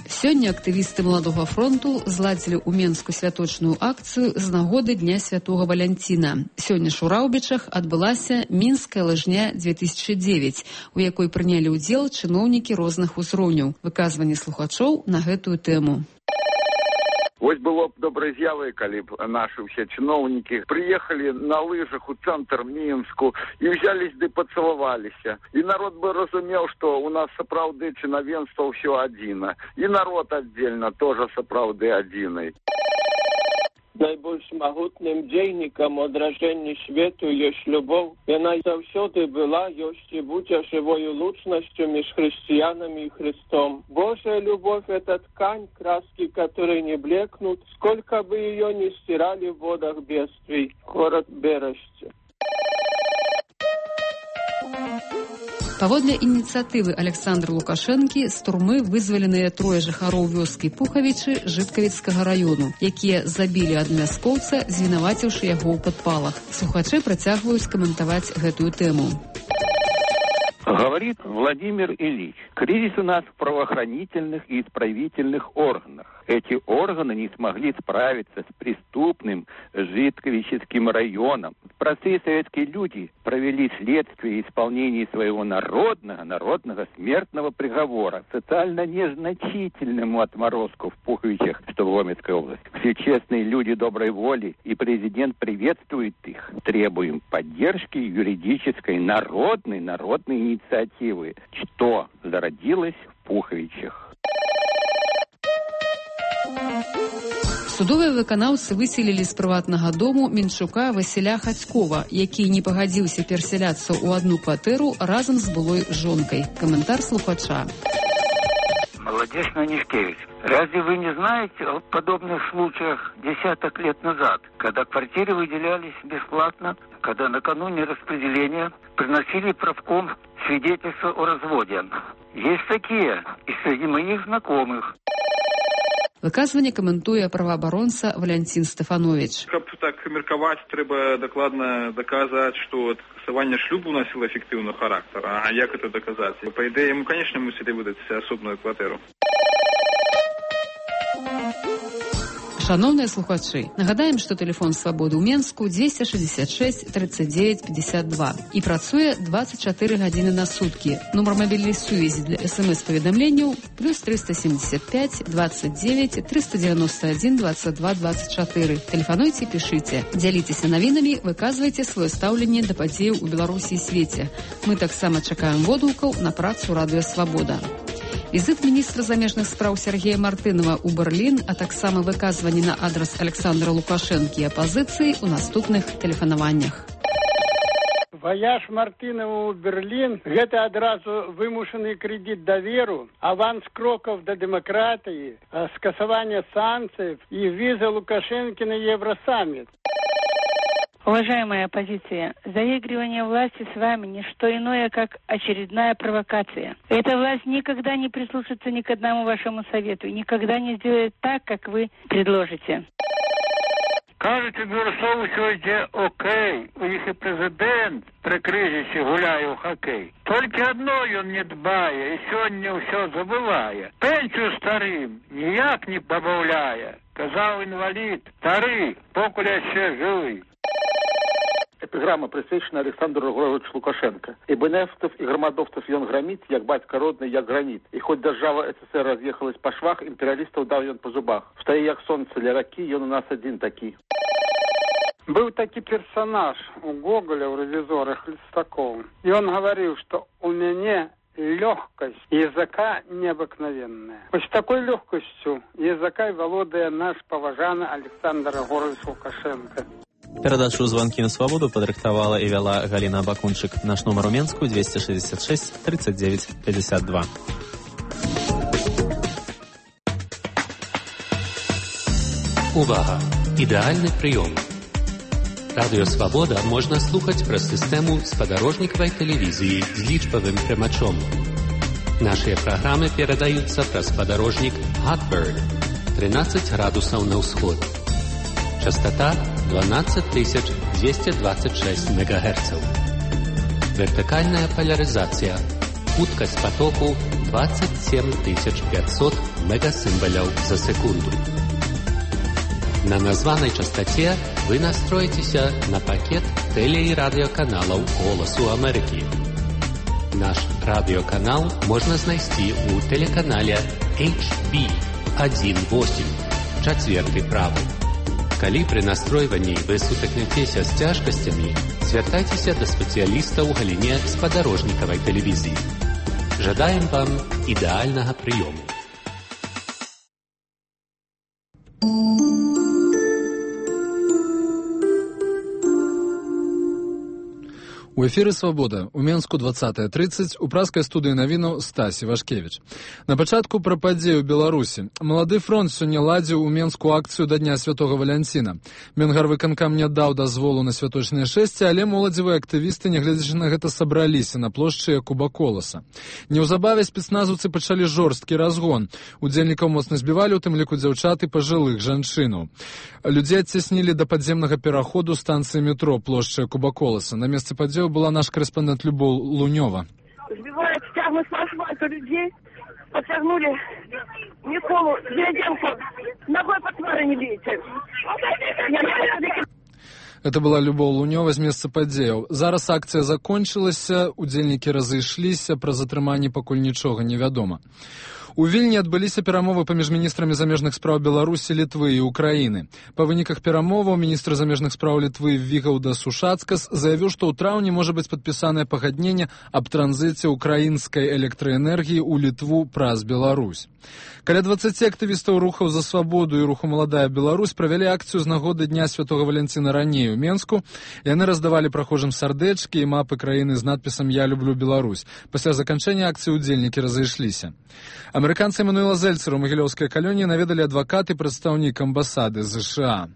Сёння актывісты Маладога фронту зладзілі ў Менску святочную акцыю з нагоды Дня Святога Валянціна. Сёння ж у Раўбічах адбылася Мінская лыжня две тысячи девять, у якой прынялі ўдзел чыноўнікі розных узроўняў. Выказванне слухачоў на гэтую тэму. Вось было б добрай з'явай, калі б нашы ўсе чыноўнікі прыехалі на лыжах у цэнтр Мінску і ўзялись ды пацалаваліся. І народ бы разумеў, што у нас сапраўды чынавенства ўсё адзіна. І народ аддзельна тоже сапраўды адзінай. Найбольш магутным дзейнікам адражэння свету ёсць любоў. Яна заўсёды была, ёсць і будзе жывою лучнасцю між хрысціянамі і Христом. Божая любовь — это ткань, краски которой не блекнут, сколько бы ее ни стирали в водах бедствий. Город Бережцы. Паводле ініцыятывы Александра Лукашэнкі з турмы вызваленыя трое жыхароў вёскі Пухавічы Жыткавіцкага раёну, якія забілі адмяскоўца, звінаваціўшы яго ў падпалах. Слухачы працягваюць каментаваць гэтую тэму. Говорит Владимир Ильич, кризис у нас в правоохранительных и исправительных органах. Эти органы не смогли справиться с преступным Житковическим районом. Простые советские люди провели следствие исполнения своего народного, народного смертного приговора социально незначительному отморозку в Пуховичах, что в Гомельской области. Все честные люди доброй воли, и президент приветствует их. Требуем поддержки юридической народной, народной инициативы, что зародилось в Пуховичах. Судовыя выканаўцы выселілі з прыватнага дому Менчука Васіля Хацькова, які не пагадзіўся перасяляцца ў одну кватэру разам з былой жонкай. Каментар слухача. Молодец Нанишкевич, разве вы не знаете о подобных случаях десяток лет назад, когда квартиры выделялись бесплатно, когда накануне распределения приносили правком свидетельство о разводе? Есть такие и среди моих знакомых. Выказванне каментуе праваабаронца Валянцін Стефанович. Каб так меркаваць, трэба дакладна даказаць, што скасаванне шлюбу носіло эфектыўны характар. А як это даказаць? Па ідэі, мы, конечно, мусілі выдаць асобную кватэру. Шановныя слухачы, нагадаем, што тэлефон свабоды ў Менску дзвесце шэсцьдзесят шэсць тридцать девять пятьдесят два і працуе двадцать чатыры гадзіны на суткі. Нумар мабільнай сувязі для эс-эм-эс-паведамленняў плюс триста семьдесят пять двадцать девять триста девяносто один двадцать два двадцать четыре. Тэлефануйце, пішыце, дзяліцеся навінамі, выказвайце сваё стаўленне да падзеяў у Беларусі і свеце. Мы таксама чакаем водгукаў на працу Радыё Свабода. Візит міністра замежных спраў Сергея Мартынова ў Берлін, а таксама выказванні на адрас Александра Лукашэнкі і апазіцыі ў наступных тэлефанаваннях. Ваяж Мартынова ў Берлін – гэта адразу вымушаны крэдит даверу, аванс крокаў да дэмакратыі, скасаванне санкцый і віза Лукашэнкі на Евросаммит. Уважаемая оппозиция, заигрывание власти с вами не что иное, как очередная провокация. Эта власть никогда не прислушается ни к одному вашему совету и никогда не сделает так, как вы предложите. Кажуть, Бурсову сьогодні окей, у їх і президент при кризисі гуляє у хокей. Тільки одно він не дбає і сьогодні все забуває. Пенсію старим ніяк не добавляє. Казав інвалід, старий, покуля ще живий. Эпиграмма присвячена Александру Григоровичу Лукашенко. И бенефтов, и громадовцев он громит, як батька родный, як гранит. И хоть держава СССР разъехалась по швах, империалистов дал он по зубах. Встає як сонце для раки, он у нас один таки. Был такой персонаж у Гоголя, у ревизора Хлестакова. И он говорил, что у меня легкость языка необыкновенная. Вот с такой легкостью языка володая наш поважанный Александр Григорович Лукашенко. Перадачу «Звонки на свободу» падрыхтавала і вяла Галина Бакунчык. Наш нумар у Менску двести шестьдесят шесть тридцать девять пятьдесят два. Увага! Ідэальны прыём. Радыё Свабода можна слухаць праз сістэму спадарожнікавай тэлевізіі з лічбавым прымачом. Нашыя праграмы перадаюцца праз спадарожнік Hotbird тринадцать градусаў на ўсход. Частота двенадцать тысяч двести двадцать шесть мегагерцаў. Вертикальная поляризация. Хуткость потоку двадцать семь тысяч пятьсот мегасимволяў за секунду. На названной частоте вы настроитеся на пакет теле- и радиоканалов «Голосу Америки». Наш радиоканал можно знайсці у телеканале эйч би один восемь. Чацверты правы. Калі пры настройванні вы сутыкнецеся з цяжкасцямі, звяртайцеся да спецыяліста ў галіне спадарожнікавай тэлевізіі. Жадаем вам ідэальнага прыёму. У эфіры «Свабода» у Менску двадцатая тридцать у праскай студыі навінаў Стась Івашкевіч. На пачатку пра падзею ў Беларусі. Малады фронт сёння ладзіў у Менску акцыю да Дня Святога Валянціна. Менгарвыканкам не даў дазволу на святочныя шэсці, але моладзевыя актывісты, нягледзячы на гэта, сабраліся на плошчы Якуба Коласа. Неўзабаве спецназаўцы пачалі жорсткі разгон. Удзельнікаў моцна збівалі, у тым ліку дзяўчат і пажылых жанчынаў. Людзей адцяснілі да падземнага пераходу станцыі метро плошчы Якуба Коласа. На месцы падзею была наш корреспондент Любов Лунёва. Сбивают, стягнут с асфальта людей, подтягнули Николу Деревенко, ногой по твари не бейте. Это была Любов Лунёва з месца падзеяў. Зараз акцыя закончылася, удзельнікі разышліся, пра затрыманне пакуль нічога невядома. У Вільні адбыліся перамовы паміж міністрамі замежных спраў Беларусі, Літвы і Украіны. Па выніках перамоваў міністр замежных спраў Літвы Вігаўдас Ушацкас заявіў, што ў траўні можа быць падпісанае пагадненне аб транзіце украінскай электраэнергіі ў Літву праз Беларусь. Каля дваццаці актывістаў рухаў за свабоду і руху «Маладая Беларусь» правялі акцыю з нагоды Дня Святога Валянціна раней у Менску. Яны раздавалі прахожым сардэчкі і мапы краіны з надпісам «Я люблю Беларусь». Пасля заканчэння акцыі удзельнікі разышліся. Амерыканца Эммануэла Зельцера ў магілёўскай калоніі наведалі адвакат і прадстаўнік амбасады ЗША.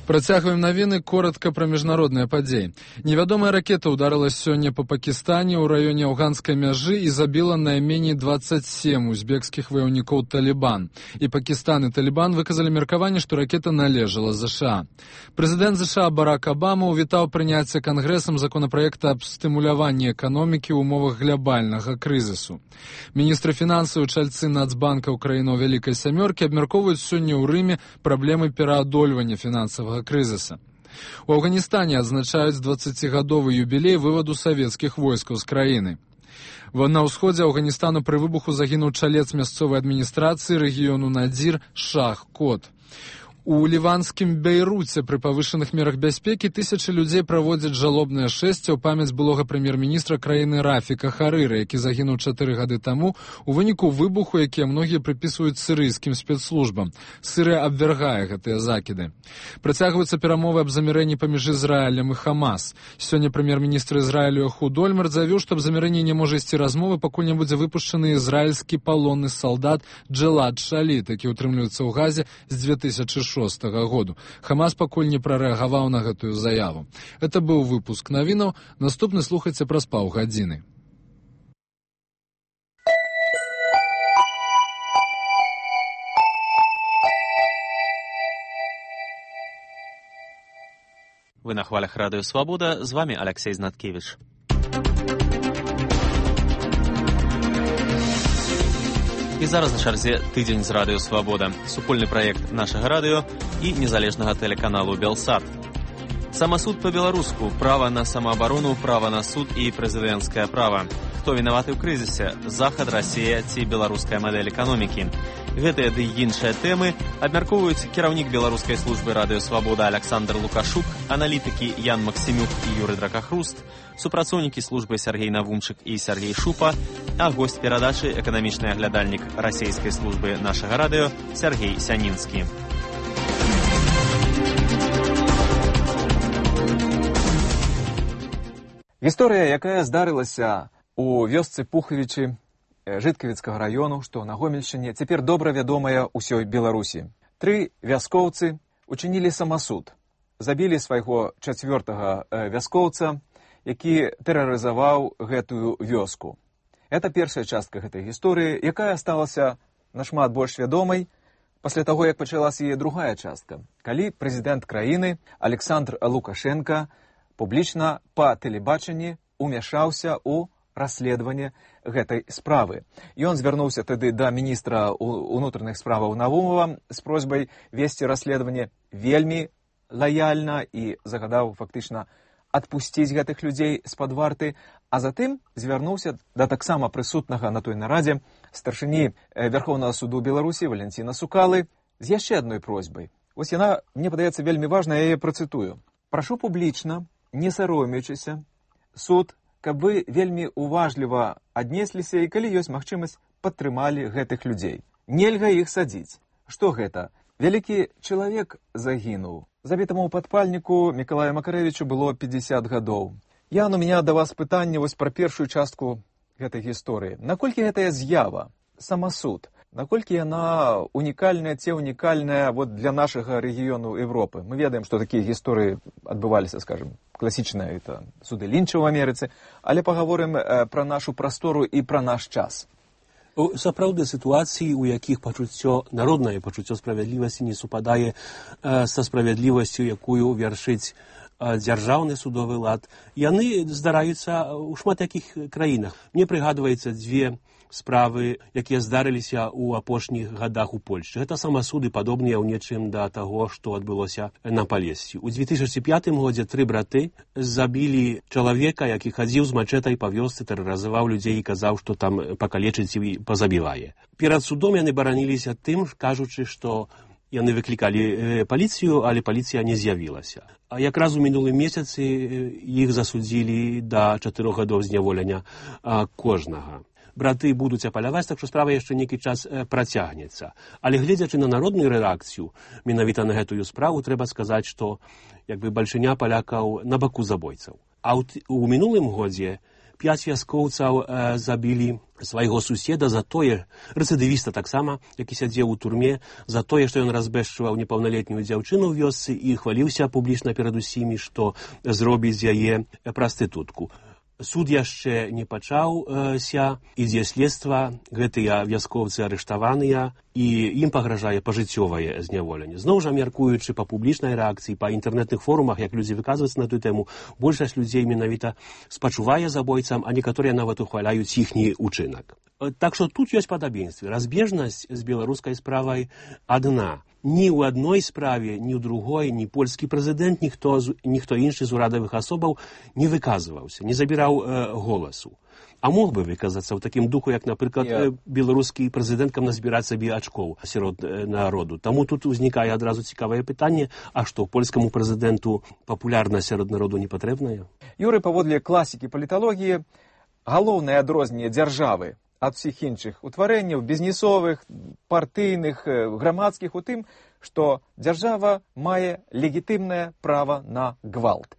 Працягваем навіны, коротка пра міжнародныя падзеі. Невядомая ракета ўдарыла сёння па Пакістане ў раёне афганскай мяжы і забіла найменей дваццаць сем узбекскіх ваяўнікоў Талібан. І Пакістан і Талібан выказалі меркаванне, што ракета належала ЗША. Прэзідэнт ЗША Барак Абама ўвітаў прыняцце кангрэсам законапраекта аб стымуляванні эканомікі ў умовах глобальнага крызісу. Міністры фінансаў і чальцы Нацбанка краінаў Вялікай Сямёркі абмяркоўваюць сёння ў Рыме праблемы пераадольвання фінансавага крызіса. У Афганістане адзначаюць дваццацігадовы юбілей вываду савецкіх войскаў з краіны. На ўсходзе Афганістану пры выбуху загінуў чалец мясцовай адміністрацыі рэгіёну Надзір Шах Кот. У ліванскім Бейруце пры павышаных мерах бяспекі тысячы людзей праводзяць жалобнае шэсце ў памяць былога прэм'ер-міністра краіны Рафіка Харыра, які загінуў чатыры гады таму у выніку выбуху, якія многія прыпісваюць сірыйскім спецслужбам. Сырыя абвяргае гэтыя закіды. Працягваюцца перамовы аб замірэнні паміж Ізраілем і Хамас. Сёння прэм'ер-міністр Ізраілю Эхуд Ольмерт заявіў, што аб замірэнні не можа ісці размовы, пакуль не будзе выпушчаны ізраільскі палонны салдат Джэлад Шаліт, які ўтрымліваецца ў Газе з дзве тысячы шостага году. Хамас пакуль не прарэагаваў на гэтую заяву. Это быў выпуск навінаў. Наступны слухайце праз паўгадзіны. Вы на хвалях радыё «Свабода». З вами Алексей Знаткевич. І зараз на чарзе тыдзень з радыё «Свабода», супольны праект нашага радыё і незалежнага тэлеканалу «Белсат». Самасуд па-беларуску, права на самаабарону, права на суд і прэзідэнцкае права. Хто вінаваты ў крызісе? Захад, Расія ці беларуская мадэль эканомікі? Гэтыя ды іншыя тэмы абмяркоўваюць кіраўнік беларускай службы радыё «Свабода» Александр Лукашук, аналітыкі Ян Максімюк і Юрый Дракахруст, супрацоўнікі службы Сергей Навумчык і Сергей Шупа, а госць перадачы эканамічны аглядальнік расійскай службы нашага радыё Сергей Сянінскі. Гісторыя, якая здарылася у вёсцы Пухавічы Жыткавіцкага раёну, што на Гомельшчыне, цяпер добра вядомая ўсёй Беларусі. Тры вяскоўцы учынілі самасуд. Забілі свайго чацвёртага вяскоўца, які тэрарызаваў гэтую вёску. Это першая частка гэтай гісторыі, якая сталася нашмат больш вядомай пасля таго, як пачалася яе другая частка, калі прэзідэнт краіны Александр Лукашенка публічна па тэлебачанні умяшаўся ў расследаванне гэтай справы. Ён звярнуўся тады да міністра ўнутраных справаў Навумова з просьбай весці расследаванне вельмі лаяльна і загадаў фактычна адпусціць гэтых людзей з-пад варты, А затым звярнуўся да таксама прысутнага на той нарадзе старшыні Вярхоўнага суду Беларусі Валянціна Сукалы з яшчэ адной просьбай. Вось яна, мне падаецца, вельмі важна, я яе працытую. Прашу публічна, не саромеючыся, суд, каб вы вельмі уважліва аднесліся і, калі ёсць магчымасць, падтрымалі гэтых людзей. Нельга іх садзіць. Што гэта? Вялікі чалавек загінуў. Забітаму ў падпальніку Мікалаю Макарэвічу было пятьдесят гадоў. Ян, у меня да вас пытанне вось пра першую частку гэтай гісторыі. Наколькі гэтая з'ява, самасуд, наколькі яна унікальная, ці унікальная вот для нашага рэгіёну Европы? Мы ведаем, што такія гісторыі адбываліся, скажем, класічныя, это суды Лінча ў Амерыцы, але пагаворым пра нашу прастору і пра наш час. Сапраўды сітуацыі, у якіх пачуццё, народнае пачуццё справядлівасці не супадае са справядлівасцю, якую вяршыць дзяржаўны судовы лад, яны здараюцца ў шмат якіх краінах. Мне прыгадваецца дзве справы, якія здарыліся ў апошніх гадах у Польшчы. Гэта самасуды падобныя ў нечым да таго, што адбылося на Палесці. У две тысячи пятым годзе тры браты забілі чалавека, які хадзіў з мачэтай па вёсцы, тэрарызаваў людзей і казаў, што там пакалечыць і пазабівае. Перад судом яны бараніліся тым, кажучы, што яны выклікалі паліцыю, але паліцыя не з'явілася. А якраз у мінулым месяцы іх засудзілі да чатырох гадоў зняволення кожнага. Браты будуць апаляваць, так што справа яшчэ нейкі час працягнецца. Але гледзячы на народную рэакцыю менавіта на гэтую справу, трэба сказаць, што як бы бальшыня палякаў на баку забойцаў. А ў мінулым годзе пяць вяскоўцаў забілі свайго суседа за тое, рэцыдывіста таксама, які сядзеў у турме, за тое, што ён разбэшчываў непаўналетнюю дзяўчыну ў вёсцы і хваліўся публічна перад усімі, што зробіць з яе прастытутку. Суд яшчэ не пачаўся, ідзе следства, гэтыя вяскоўцы арыштаваныя, і ім пагражае пажыццёвае зняволенне. Зноў жа, мяркуючы па публічнай рэакцыі, па інтэрнэтных форумах, як людзі выказваюцца на тую тэму, большасць людзей менавіта спачувае забойцам, а некаторыя нават ухваляюць іхні ўчынак. Так што тут ёсць падабенствы. Разбежнасць з беларускай справай адна. Ні ў адной справе, ні ў другой, ні польскі прэзідэнт, ніхто, ніхто іншы з урадавых асобаў не выказваўся, не забіраў э, голасу. А мог бы выказацца ў такім духу, як, напрыклад, yeah. беларускі прэзідэнт, каб назбіраць сабе ачкоў сярод народу. Таму тут узнікае адразу цікавае пытанне, а што, польскаму прэзідэнту папулярнасць сярод народу не патрэбная? Юрый, паводле класікі паліталогіі, галоўнае адрозненне дзяржавы ад усіх іншых утварэнняў, бізнесовых, партыйных, грамадскіх, у тым, што дзяржава мае легітымнае права на гвалт.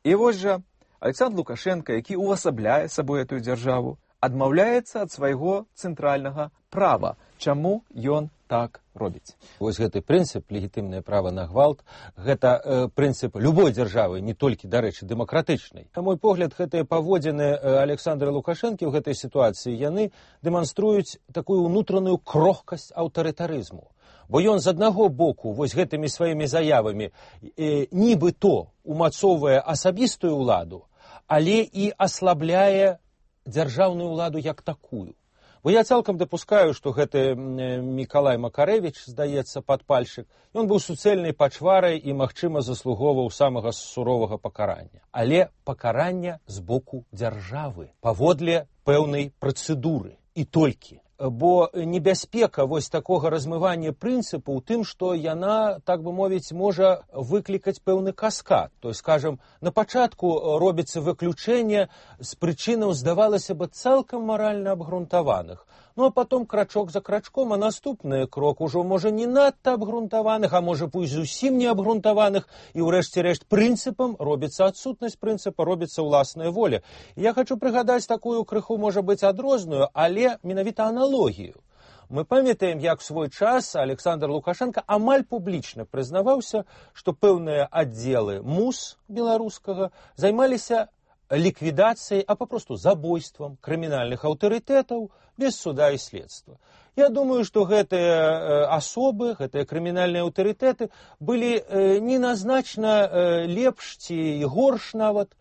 І вось жа Александр Лукашенко, які увасабляе сабой эту дзяржаву, адмаўляецца ад свайго цэнтральнага права. Чаму ён так робіць? Вось гэты прынцып, легітымнае права на гвалт, гэта э, прынцып любой дзяржавы, не толькі, дарэчы, дэмакратычнай. На мой погляд, гэтыя паводзіны Александра Лукашэнкі ў гэтай сітуацыі, яны дэманструюць такую ўнутраную крохкасць аўтарытарызму. Бо ён з аднаго боку вось гэтымі сваімі заявамі э, нібы-то умацоўвае асабістую ўладу, але і аслабляе дзяржаўную ўладу як такую. Бо я цалкам дапускаю, што гэты Мікалай Макарэвіч, здаецца, падпальшчык, ён быў суцэльнай пачварай і, магчыма, заслугоўваў самага суровага пакарання. Але пакарання з боку дзяржавы, паводле пэўнай працэдуры. І толькі. Бо небяспека вось такога размывання прынцыпу ў тым, што яна, так бы мовіць, можа выклікаць пэўны каскад. То есть, скажем, на пачатку робіцца выключэнне з прычынаў, здавалася бы, цалкам маральна абгрунтаваных. Ну, а потом крачок за крачком, а наступны крок ужо можа не надта абгрунтаваных, а можа пусть зусім не абгрунтаваных, і ўрэшце рэшт прынцыпам робіцца адсутнасць прынцыпа, робіцца ўласная воля. І я хочу прыгадаць такую крыху, можа быць, адрозную, але менавіта аналогію. Мы памятаем, як в свой час Александр Лукашенко амаль публічна прызнаваўся, што пэўныя аддзелы МУС беларускага займаліся ліквідацыяй, а папросту забойствам крымінальных аўтарытэтаў без суда і следства. Я думаю, што гэтыя асобы, гэтыя крымінальныя аўтарытэты былі неназначна лепш ці горш нават,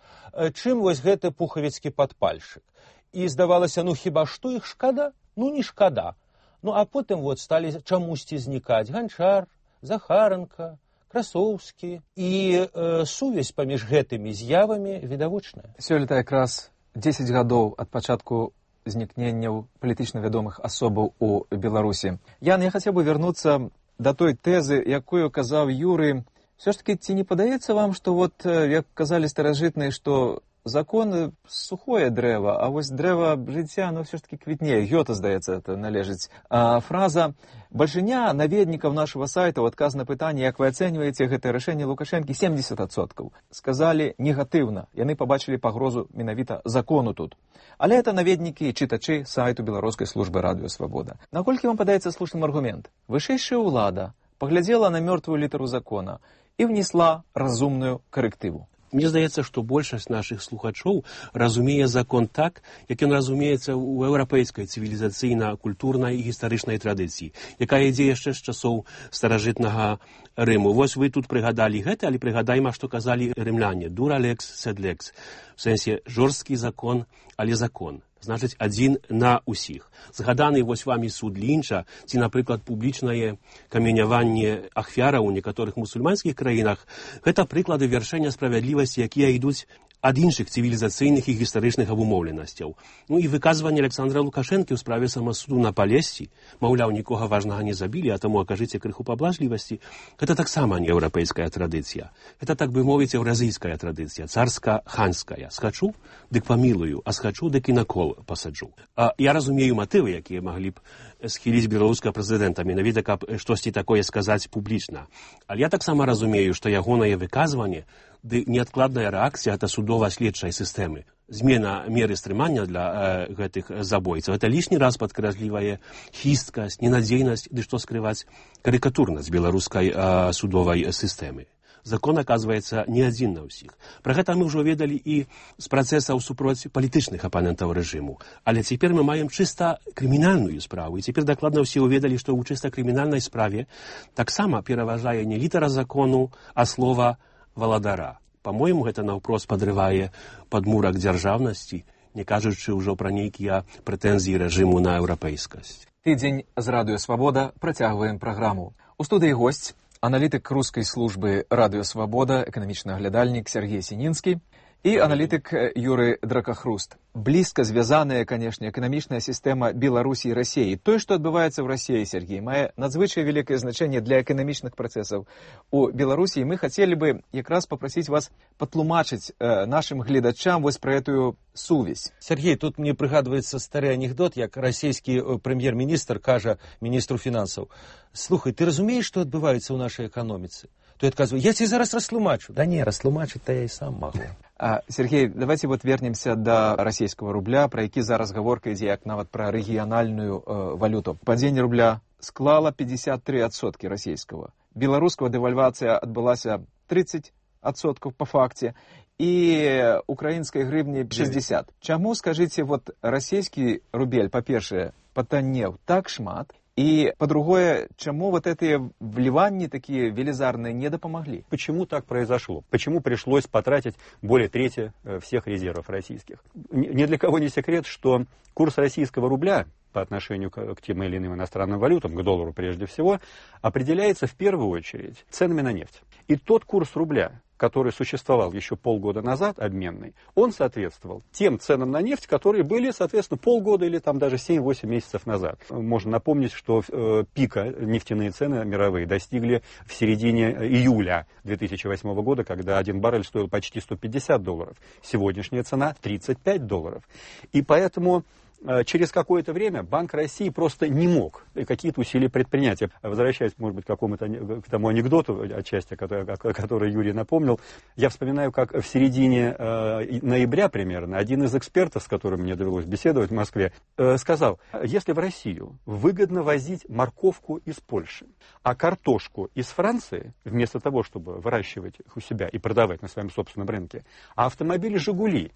чым вось гэты пухавіцкі падпальшчык. І здавалася, ну хіба што іх шкада? Ну не шкада. Ну а потым вот сталі чамусьці знікаць Ганчар, Захаранка, Красоўскі, і э, сувязь паміж гэтымі з'явамі відавочная. Сёлета якраз дзесяць гадоў ад пачатку знікненняў палітычна вядомых асобаў у Беларусі. Ян, я хацеў бы вярнуцца да той тэзы, якую казаў Юрый. Все ж таки, ці не падаецца вам, што вот, як казалі старажытныя, што закон сухое дрэва, а вось дрэва жыцця, ну, все ж таки квітнее. Гёта, здаецца, это належыць. А фраза «Большиня наведнікаў нашего сайта» ў адказ на пытанне, як вы ацэньваеце гэтае рашэнне Лукашэнкі, семьдесят адсоткаў. Сказалі негатыўна. Яны пабачылі пагрозу менавіта закону тут. Але это наведнікі і чытачы сайту Беларускай службы радыё Свабода. Наколькі вам падаецца слушным аргумент? Вышэйшая ўлада паглядзела на мёртвую літару закона і внесла разумную карэктыву. Мне здаецца, што большасць нашых слухачоў разумее закон так, як ён разумеецца ў еўрапейскай цывілізацыйна-культурнай і гістарычнай традыцыі, якая ідзе яшчэ з часоў старажытнага Рыму. Вось вы тут прыгадалі гэта, але прыгадайма, што казалі рымляне. Дура лекс, сед лекс. В сэнсе жорсткі закон, але закон. Значыць, адзін на ўсіх. Згаданы вось вамі суд Лінча, ці, напрыклад, публічнае каменяванне ахвяраў у некаторых мусульманскіх краінах, гэта прыклады вяршэння справядлівасці, якія ідуць ад іншых цывілізацыйных і гістарычных абумоўленасцяў. Ну і выказванне Александра Лукашэнкі ў справе самасуду на Палесці, маўляў, нікога важнага не забілі, а таму акажыце крыху паблажлівасці, гэта таксама не еўрапейская традыцыя. Гэта, так бы мовіць, еўразійская традыцыя, царска-ханская. Схачу, дык памілую, а схачу, дык і на кол пасаджу. А я разумею матывы, якія маглі б схіліць беларускага прэзідэнта, менавіта, каб штосьці такое сказаць публічна. Але я таксама разумею, што ягонае выказванне ды неадкладная рэакцыя ад судова-следчай сістэмы. Змена меры стрымання для э, гэтых забойцаў. Это лішні раз падкрэслівае хісткасць, ненадзейнасць, ды што скрываць карыкатурнасць беларускай э, судовай сістэмы. Закон, аказваецца, не адзін на ўсіх. Пра гэта мы ўжо ведалі і з працэсаў супроць палітычных апанентаў рэжыму. Але цяпер мы маем чыста крымінальную справу. І цяпер дакладна ўсе ўведалі, што ў чыста крымінальнай справе таксама пераважае не літара закону, а слова валадара. Па-мойму, гэта наўпрост падрывае падмурак дзяржаўнасці, не кажучы ўжо пра нейкія прэтэнзіі рэжыму на еўрапейскасць. Тыдзень з радыё Свабода працягваем праграму. У студыі госць аналітык рускай службы радыё Свабода, эканамічны аглядальнік Сергей Сінінскі і аналітык Юрый Дракахруст. Блізка звязаная, канешне, эканамічная сістэма Беларусі і Расіі. Тое, што адбываецца ў Расіі, Сергей, мае надзвычай вялікае значэнне для эканамічных працэсаў у Беларусі. Мы хацелі бы якраз папрасіць вас патлумачыць э, нашым гледачам вось пра гэтую сувязь. Сергей, тут мне прыгадваецца стары анекдот, як расійскі прэм'ер-міністр кажа міністру фінансаў: «Слухай, ты разумееш, што адбываецца ў нашай эканоміцы?» Той адказвае: «Я тебе зараз растлумачу». Да не, растлумачыць-то я і сам магу. А, Сергей, давайте вот вернемся до российского рубля, про які зараз гаворка ідзе, як нават про рэгіянальную э, валюту. Падзенне рубля склала пятьдесят три адсоткі расійского. Беларускага дэвальвацыя адбылася тридцать адсоткаў по факце, і украінскай гривні шестьдесят. Чаму, скажите, вот расійскі рубель, па-першае, патаннеў так шмат, и, по-другое, чему вот эти вливания такие велизарные не допомогли? Почему так произошло? Почему пришлось потратить более трети всех резервов российских? Ни для кого не секрет, что курс российского рубля по отношению к, к тем или иным иностранным валютам, к доллару прежде всего, определяется в первую очередь ценами на нефть. И тот курс рубля, который существовал еще полгода назад, обменный, он соответствовал тем ценам на нефть, которые были, соответственно, полгода или там даже семь-восемь месяцев назад. Можно напомнить, что э, пика нефтяные цены мировые достигли в середине июля две тысячи восьмого года, когда один баррель стоил почти сто пятьдесят долларов. Сегодняшняя цена тридцать пять долларов. И поэтому через какое-то время Банк России просто не мог какие-то усилия предпринять. Возвращаясь, может быть, к какому-то к тому анекдоту, отчасти, который, который Юрий напомнил, я вспоминаю, как в середине э, ноября примерно один из экспертов, с которым мне довелось беседовать в Москве, э, сказал: если в Россию выгодно возить морковку из Польши, а картошку из Франции, вместо того, чтобы выращивать их у себя и продавать на своем собственном рынке, а автомобили «Жигули»,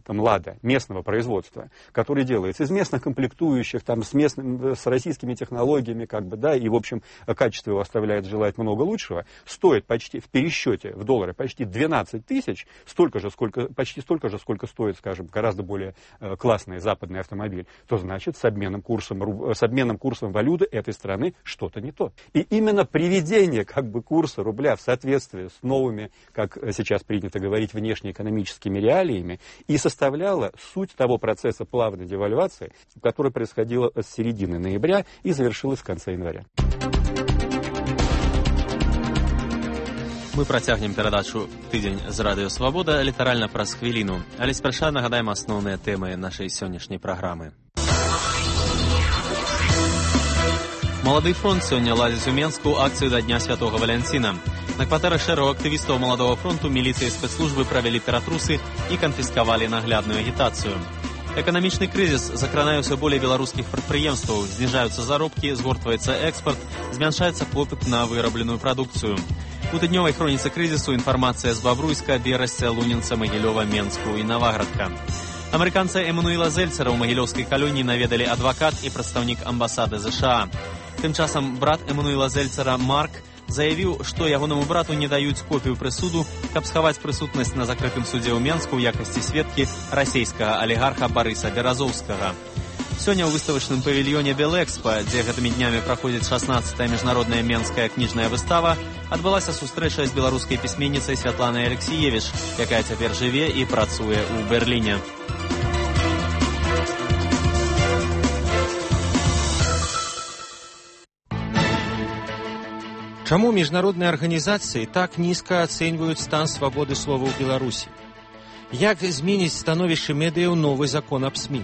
там «Лада» местного производства, который делается из местных комплектующих, там, с, местным, с российскими технологиями, как бы, да, и, в общем, качество его оставляет желать много лучшего, стоит почти в пересчете в доллары почти двенадцать тысяч, столько же, сколько, почти столько же, сколько стоит, скажем, гораздо более э, классный западный автомобиль, то значит с обменным курсом, с обменным курсом валюты этой страны что-то не то. И именно приведение, как бы, курса рубля в соответствии с новыми, как сейчас принято говорить, внешнеэкономическими реалиями и составляла суть того процесса плавной девальвации, который происходил с середины ноября и завершилась в конце января. Мы працягнем перадачу «Тыдзень з радыё Свабода» літаральна праз хвіліну, але спярша нагадаем асноўныя тэмы нашай сённяшняй праграмы. Малады фронт сёння ладзіць у Менску акцыю да Дня Святого Валянціна. На кватэрах шэрагу актывістаў Маладога фронту міліцыі і спецслужбы правялі ператрусы і канфіскавалі наглядную агітацыю. Эканамічны крызіс закранае ўсё болей беларускіх прадпрыемстваў, зніжаюцца заробкі, згортваецца экспарт, змяншаецца попыт на вырабленую прадукцыю. У тыднёвай хроніцы крызісу інфармацыя з Бабруйска, Берасця, Лунінца, Магілёва, Менску і Наваградка. Амерыканца Эмануэла Зельцера ў магілёўскай калоніі наведалі адвакат і прадстаўнік амбасады ЗША. Тым часам брат Эмануэла Зельцера Марк заявіў, што ягонаму брату не даюць копію прысуду, каб схаваць прысутнасць на закрытым судзе ў Менску ў якасці сведкі расійскага алігарха Барыса Беразоўскага. Сёння ў выставачным павільёне Белэкспа, дзе гэтымі днямі праходзіць шаснаццатая міжнародная менская кніжная выстава, адбылася сустрэча з беларускай пісьменніцай Святланай Алексіевіч, якая цяпер жыве і працуе ў Берліне. Чаму міжнародныя арганізацыі так нізка ацэньваюць стан свабоды слова ў Беларусі? Як зменіць становішча медыяў новы закон аб СМІ?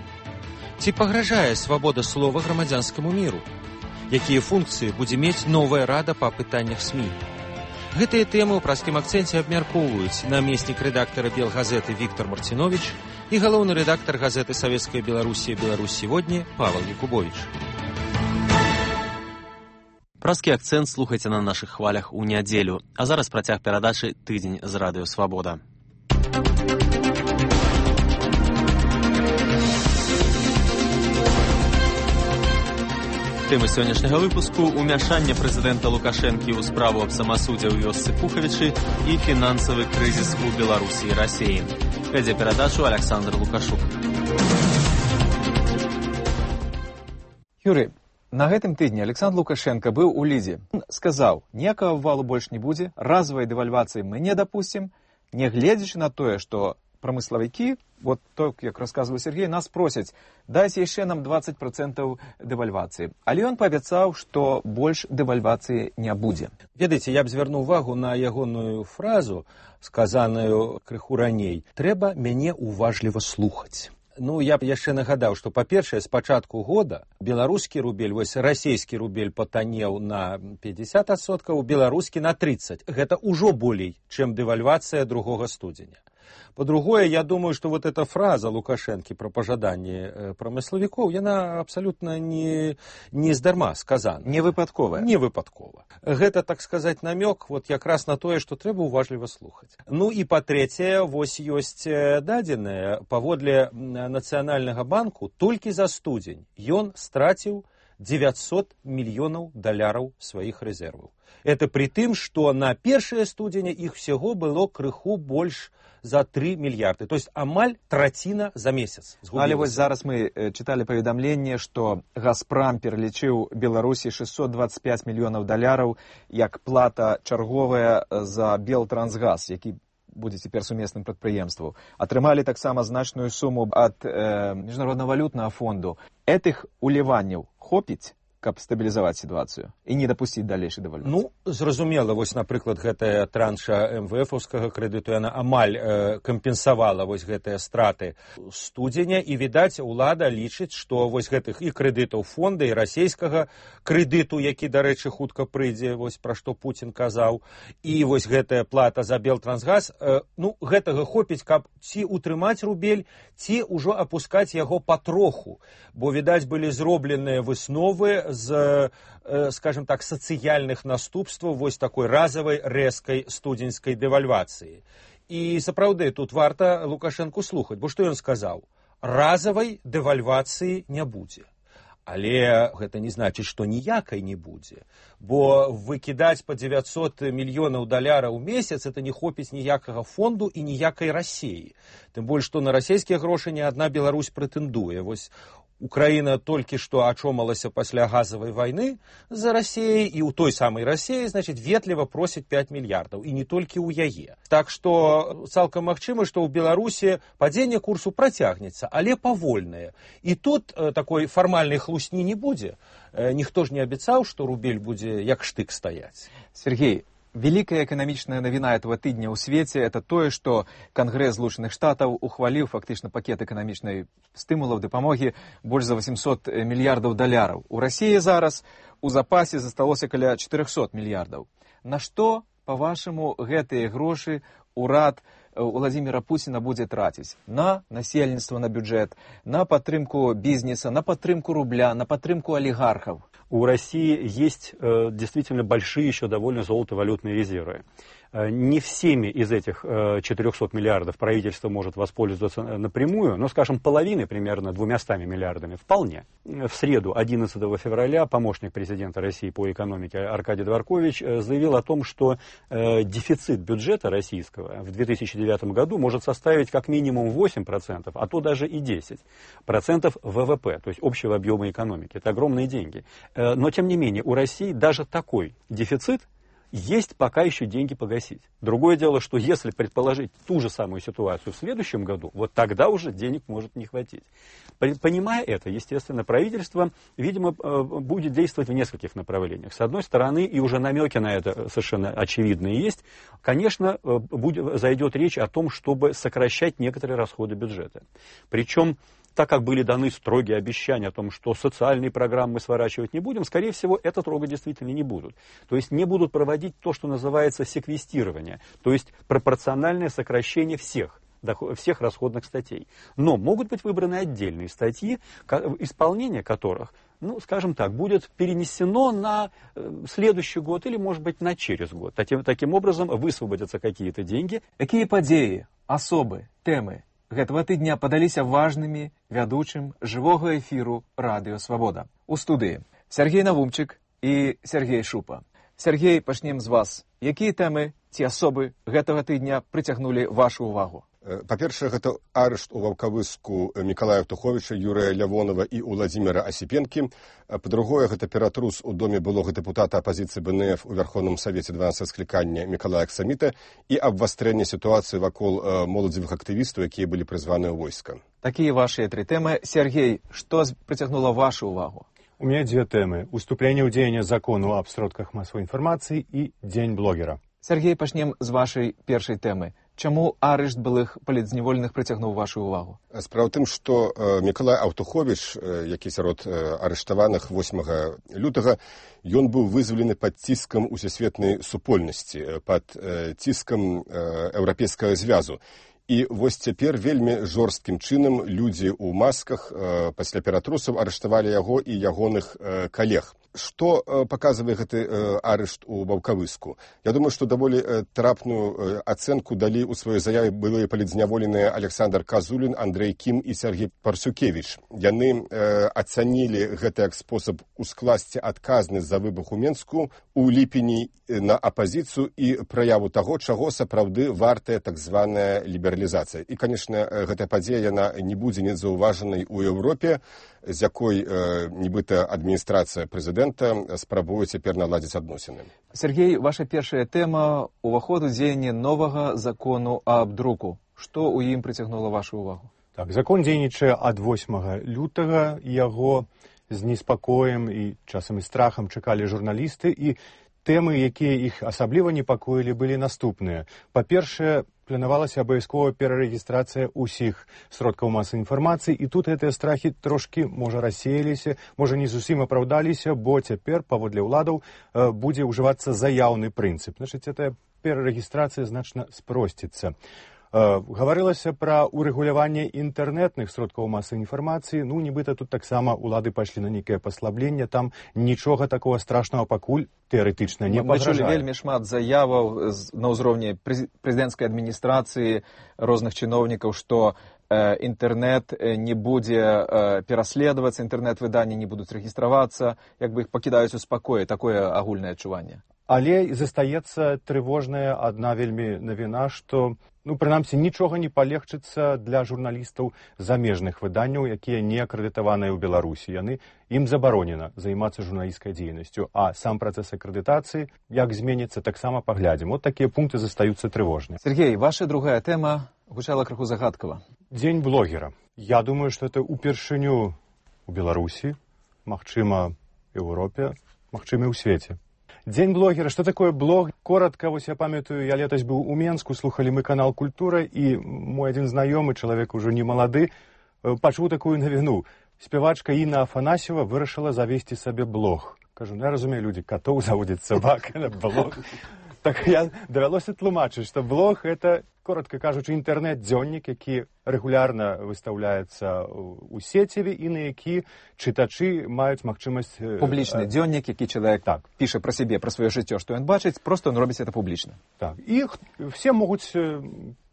Ці пагражае свабода слова грамадзянскаму міру? Якія функцыі будзе мець новая рада па пытаннях СМІ? Гэтыя тэмы ў праскім акцэнце абмяркоўваюць намеснік рэдактара Белгазеты Віктор Марціновіч і галоўны рэдактар газеты «Савецкая Беларусія. Беларусь сегодня» Павел Якубович. Праскі акцэнт слухайце на нашых хвалях у нядзелю. А зараз працяг перадачы «Тыдзень з радыё Свабода». Тэмы сённяшняга выпуску – умяшанне прэзідэнта Лукашэнкі ў справу аб самасудзе ў вёсцы Пухавічы і фінансавы крызіс у Беларусі і Расіі. Вядзе перадачу Александр Лукашук. Юрый, на гэтым тыдні Александр Лукашенко быў у Лідзе. Он сказаў, ніякага валу больш не будзе, разавай дэвальвацыі мы не дапусцім, не гледзячы на тое, што прамыславікі, вот так, як расказваў Сергей, нас просяць, дайце яшчэ нам двадцать процентаў дэвальвацыі. Але ён паабяцаў, што больш дэвальвацыі не будзе. Ведаеце, я б звярнуў увагу на ягоную фразу, сказаную крыху раней. Трэба мяне уважліва слухаць. Ну, я б яшчэ нагадаў, што, па-першае, з пачатку года беларускі рубель, вось расійскі рубель патанеў на пятьдесят адсоткаў, беларускі на тридцать. Гэта ўжо болей, чым дэвальвацыя другога студзеня. По-другое, я думаю, что вот эта фраза Лукашенко про пожаданне промысловиков, она абсолютно не, не здарма сказана. Не выпадковая. Не выпадкова. Гэта, так сказать, намек вот як раз на тое, что трэба уважліва слухаць. Ну и по-трэцяе, вось ёсць дадзеныя, паводле Нацыянальнага банку, толькі за студзень ён страціў девятьсот мільёнаў даляраў сваіх рэзерваў. Это при тым, что на першае студзеня іх всего было крыху больш за три мільярды. То есть амаль траціна за месяц. Але вось зараз мы чыталі паведамленне, што Газпрам пералічыў Беларусі шестьсот двадцать пять мільёнаў даляраў як плата чарговая за Белтрансгаз, які будзе цяпер сумесным прадпрыемствам. Атрымалі таксама значную суму ад э, Міжнароднага валютнага фонду. Этых уліванняў хопіць, каб стабілізаваць сітуацыю і не дапусціць далейшай дэвальвацыі? Ну, зразумела, вось, напрыклад, гэтая транша эм вэ эфаўскага крэдыту, яна амаль э, кампенсавала вось гэтыя страты студзеня, і, відаць, улада лічыць, што вось гэтых і крэдытаў фонда, і расійскага крэдыту, які, дарэчы, хутка прыйдзе, вось пра што Пуцін казаў, і вось гэтая плата за Белтрансгаз, э, ну, гэтага хопіць, каб ці утрымаць рубель, ці ўжо апускаць яго патроху, бо, відаць, былі зробленыя высновы з, скажем так, сацыяльных наступстваў вось такой разавай рэзкай студзеньскай дэвальвацыі. І сапраўды тут варта Лукашэнку слухаць, бо што ён сказаў? Разавай дэвальвацыі не будзе. Але гэта не значыць, што ніякай не будзе, бо выкідаць па девятьсот мільёнаў даляраў у месяц это не хопіць ніякага фонду і ніякай Расіі. Тым больш, што на расійскія грошы ні адна Беларусь прэтэндуе. Вось Украіна толькі што ачомалася пасля газавай вайны за Расіяй, і ў той самай Расіі, значыць, ветліва просіць пяць мільярдаў, і не толькі ў яе. Так што цалкам магчыма, што ў Беларусі падзенне курсу працягнецца, але павольнае. І тут э, такой фармальнай хлусні не будзе. Э, ніхто ж не абяцаў, што рубель будзе як штык стаяць. Сергей, великая экономичная новина этого тыдня ў свеце это тое, што Кангрэс Злучаных Штатаў ухваліў фактычна пакет эканамічнай стымулаў дапамогі больш за восемьсот мільярдаў даляраў. У Расіі зараз у запасе засталося каля четырёхсот мільярдаў. На што, па-вашаму, гэтыя грошы урад Владимира Путина будзе траціць? На насельніцтва, на бюджэт, на падтрымку бізнеса, на падтрымку рубля, на падтрымку олигархов? У России есть э, действительно большие еще довольно золотовалютные резервы. Э, не всеми из этих э, четырёхсот миллиардов правительство может воспользоваться напрямую, но, скажем, половины, примерно двумястами миллиардами, вполне. В среду, одиннадцатого февраля, помощник президента России по экономике Аркадий Дворкович э, заявил о том, что э, дефицит бюджета российского в две тысячи девятом году может составить как минимум восемь процентов, а то даже и десять процентов ВВП, то есть общего объема экономики. Это огромные деньги. Но, тем не менее, у России даже такой дефицит есть пока еще деньги погасить. Другое дело, что если предположить ту же самую ситуацию в следующем году, вот тогда уже денег может не хватить. Понимая это, естественно, правительство, видимо, будет действовать в нескольких направлениях. С одной стороны, и уже намеки на это совершенно очевидные есть, конечно, будет, зайдет речь о том, чтобы сокращать некоторые расходы бюджета. Причем, так как были даны строгие обещания о том, что социальные программы сворачивать не будем, скорее всего, это трогать действительно не будут. То есть не будут проводить то, что называется секвестирование, то есть пропорциональное сокращение всех, всех расходных статей. Но могут быть выбраны отдельные статьи, исполнение которых, ну, скажем так, будет перенесено на следующий год или, может быть, на через год. Таким, таким образом высвободятся какие-то деньги. Какие подеи, особы, темы гэтага тыдня падаліся важнымі вядучым жывога эфіру радыё Свабода. У студыі Сергей Навумчык і Сергей Шупа. Сергей, пачнем з вас. Якія тэмы ці асобы гэтага тыдня прыцягнулі вашу ўвагу? Па-першае, гэта арышт у Ваўкавыску Мікалая Туховіча, Юрыя Лявонова і Уладзіміра Асіпенкі. Па-другое, гэта ператрус у доме былога дэпутата апазіцыі БНФ у Вярхоўным Савеце дванадцатага склікання Мікалая Аксаміта і абвастрэнне сітуацыі вакол моладзевых актывістаў, якія былі прызваныя ў войска. Такія вашыя тры тэмы. Сергей, што прыцягнула вашу ўвагу? У меня две темы. Уступление ў дзеяння закону аб сродках масавой інфармацыі і дзень блогера. Сергей, пачнем з вашай першай тэмы. Чаму арышт былых палітзняволеных прыцягнуў вашу ўвагу? Справа ў тым, што э, Мікалай Аўтуховіч, э, які сярод э, арыштаваных восьмага лютага, ён быў вызвалены пад ціскам усесветнай супольнасці, пад э, ціскам э, еўрапейскага звязу. І вось цяпер вельмі жорсткім чынам людзі ў масках э, пасля ператрусаў арыштавалі яго і ягоных э, калег. Што э, паказвае гэты э, арышт у Ваўкавыску? Я думаю, што даволі э, трапную э, ацэнку далі ў сваёй заяве былыя палітзняволеныя Александр Казулін, Андрэй Кім і Сергей Парсюкевіч. Яны э, ацанілі гэты як спосаб ускласці адказнасць за выбух у Менску у ліпені на апазіцыю і праяву таго, чаго сапраўды вартая так званая лібералізацыя. І, канешне, гэтая падзея яна не будзе незаўважанай у Еўропе, з якой э, нібыта адміністрацыя прэзідэнта спрабуе цяпер наладзіць адносіны. Сергей, ваша першая тэма – уваход у дзеянне новага закону аб друку. Што ў ім прыцягнула вашу ўвагу? Так, закон дзейнічае ад восьмага лютага, яго з неспакоем і часам і страхам чакалі журналісты, і тэмы, якія іх асабліва непакоілі, былі наступныя. Па-першае, планавалася абавязкова перарэгістрацыя ўсіх сродкаў масавай інфармацыі, і тут гэтыя страхі трошкі, можа, рассеяліся, можа, не зусім апраўдаліся, бо цяпер, паводле ўладаў, будзе ўжывацца заяўны прынцып. Значыць, гэтая перарэгістрацыя значна спросціцца. Гаварылася пра урэгуляванне інтэрнэтных сродкаў масавай інфармацыі. Ну, нібыта тут таксама ўлады пайшлі на нейкае паслабленне. Там нічога такого страшнага пакуль тэарэтычна не пагражае. Мы чулі вельмі шмат заяваў на ўзроўні прэзідэнцкай адміністрацыі, розных чыноўнікаў, што інтэрнэт не будзе пераследавацца, інтэрнэт-выданні не будуць рэгістравацца, як бы іх пакідаюць у спакоі. Такое агульнае адчуванне. Але застаецца трывожная адна вельмі навіна, што ну, прынамсі, нічога не палегчыцца для журналістаў замежных выданняў, якія не акрэдытаваныя ў Беларусі. Яны, ім забаронена займацца журналісцкай дзейнасцю, а сам працэс акрэдытацыі, як зменіцца, таксама паглядзім. Вот такія пункты застаюцца трывожныя. Сергей, ваша другая тэма гучала крыху загадкава. Дзень блогера. Я думаю, што это упершыню у Беларусі, магчыма, і ў Еўропе, магчыма, і ў свеце. Дзень блогера. Что такое блог? Коротко, вось я памятаю, я летась быў у Менску, слухали мы канал «Культура», і мой адзін знаёмы, чалавек ужо не малады, пачуў такую навіну. Спявачка Інна Афанасьева вырашыла завесці сабе блог. Кажу, ну я разумею, людзі, катоў заводзяць сабак, блог. Так я давялося тлумачыць, што блог — это, коротко кажучы, інтэрнэт-дзённік, які рэгулярна выстаўляецца ў сеціве і на які чытачы маюць магчымасць... Публічны дзённік, які чалавек так, піша пра сябе, пра сваё жыццё, што ён бачыць, проста он робіць это публічна. Так, і все могуць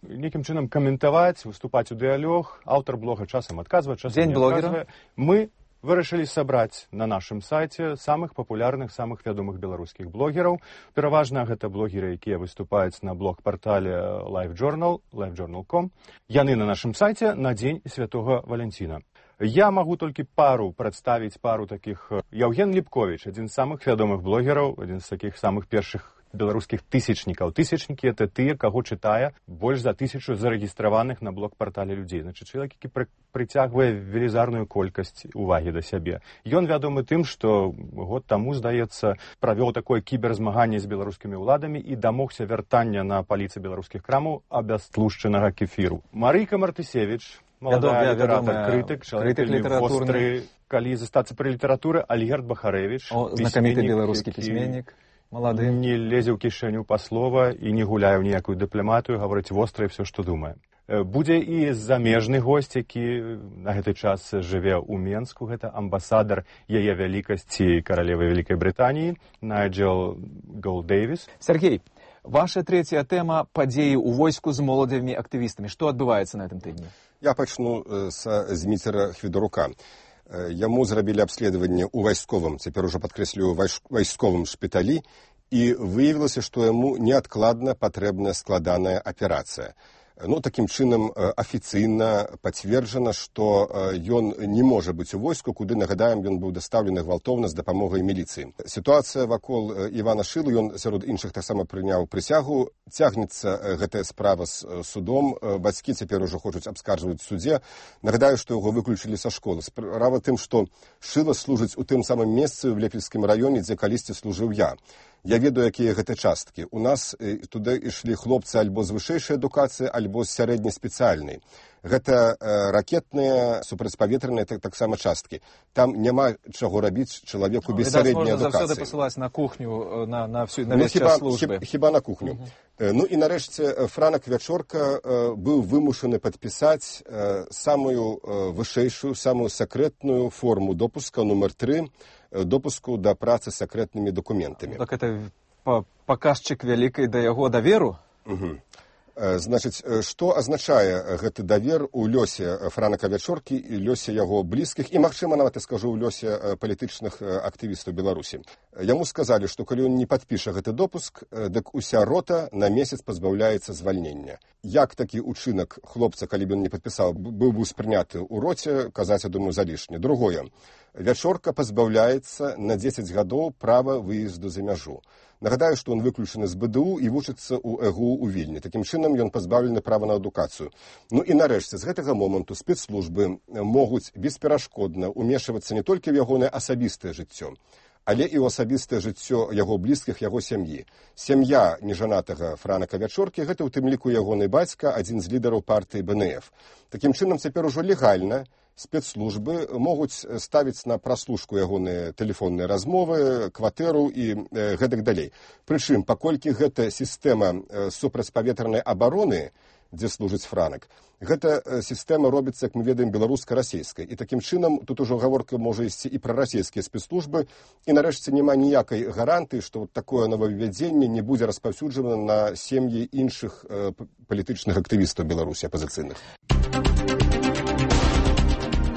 нейкім чынам каментаваць, выступаць у дыялог, аўтар блога часам адказвае, часам Дзень не адказвае. блогера. Мы вырашылі сабраць на нашым сайце самых папулярных, самых вядомых беларускіх блогераў. Пераважна гэта блогеры, якія выступаюць на блог-партале LiveJournal, livejournal точка com. Яны на нашым сайце на дзень Святога Валянціна. Я магу толькі пару прадставіць пару такіх. Яўген Ліпковіч, адзін з самых вядомых блогераў, адзін з такіх самых першых беларускіх тысячнікаў. Тысячнікі — это тыя, каго чытае больш за тысячу зарэгістраваных на блог-партале людзей. Значыць, чалавек, які пры, прыцягвае велізарную колькасць увагі да сябе. Ён вядомы тым, што год таму, здаецца, правёў такое кіберзмаганне з беларускімі ўладамі і дамогся вяртання на паліцы беларускіх крамаў абястлушчанага кефіру. Марыйка Мартысевіч, маладая літаратар, крытык, чалавек вельмі востры, калі застацца пры літаратуры, Альгерд Бахарэвіч, знакаміты беларускі пісьменнік. Малады. Не лезе ў кішэню па слова і не гуляе ў ніякую дыпламатыю, гаворыць востра і все, што думае. Будзе і замежны госць, які на гэты час жыве ў Менску. Гэта амбасадар яе вялікасці каралевы Вялікай Брытаніі Найджел Голдэйвіс. Сергей, ваша трэцяя тэма — падзеі ў войску з моладзевымі актывістамі. Што адбываецца на гэтым тыдні? Я пачну са Зміцера Хвідарука. Яму зрабілі абследаванне ў вайсковым, цяпер ужо падкрэслюю, вайсковым шпіталі, і выявілася, што яму неадкладна патрэбная складаная аперацыя. Ну, такім чынам афіцыйна пацверджана, што ён не можа быць у войску, куды, нагадаем, ён быў дастаўлены гвалтоўна з дапамогай міліцыі. Сітуацыя вакол Івана Шылы, ён сярод іншых таксама прыняў прысягу. Цягнецца гэтая справа з судом. Бацькі цяпер ужо хочуць абскарджваць в судзе. Нагадаю, што яго выключылі са школы. Справа тым, што Шыла служыць у тым самым месцы ў Лепельскім раёне, дзе калісьці служыў я. Я ведаю, якія гэта часткі. У нас туды ішлі хлопцы альбо з вышэйшай адукацыі, альбо з сярэдняй спецыяльнай. Гэта э, ракетныя, супрацьпаветраныя так, таксама часткі. Там няма чаго рабіць чалавеку без ну, сярэдняй адукацыі. Можна заўсёды пасылаць на кухню, на, на, всю, на весь ну, час службы. Хіба, хіба на кухню. Uh-huh. Ну і нарэшце Франак Вячорка э, быў вымушаны падпісаць э, самую э, вышэйшую, самую сакрэтную форму допуска, нумар тры, допуску да працы з сакрэтнымі дакументамі. Так это паказчык вялікай да яго даверу? Угу. Значыць, што азначае гэты давер у лёсе Франака Вячоркі і лёсе яго блізкіх і, магчыма, нават я скажу, у лёсе палітычных актывістаў Беларусі. Яму сказалі, што калі ён не падпіша гэты допуск, дык уся рота на месяц пазбаўляецца звальнення. Як такі ўчынак хлопца, калі б ён не падпісаў, быў бы спрыняты ў роце, казаць, я думаю, залішне. Другое. Вячорка пазбаўляецца на дзесяць гадоў права выезду за мяжу. Нагадаю, што ён выключаны з БДУ і вучыцца ў ЭГУ у Вільні. Такім чынам ён пазбаўлены права на адукацыю. Ну і нарэшце, з гэтага моманту спецслужбы могуць бесперашкодна ўмешвацца не толькі в ягонае асабістае жыццё, але і ў асабістае жыццё яго блізкіх, яго сям'і. Сям'я нежанатага Франака Вячоркі — гэта ў тым ліку ягоны бацька, адзін з лідараў партыі БНФ. Такім чынам цяпер ужо легальна спецслужбы могуць ставіць на праслушку ягоныя тэлефонныя размовы, кватэру і э, гэтак далей. Прычым, паколькі гэта сістэма э, супрацьпаветранай абароны, дзе служыць Франак, гэта э, сістэма робіцца, як мы ведаем, беларуска-расейскай. І такім чынам тут ужо гаворка можа ісці і пра расійскія спецслужбы, і нарэшце няма ніякай гарантыі, што вот такое новаўвядзенне не будзе распаўсюджана на сем'і іншых э, палітычных актывістаў Беларусі апазіцыйных.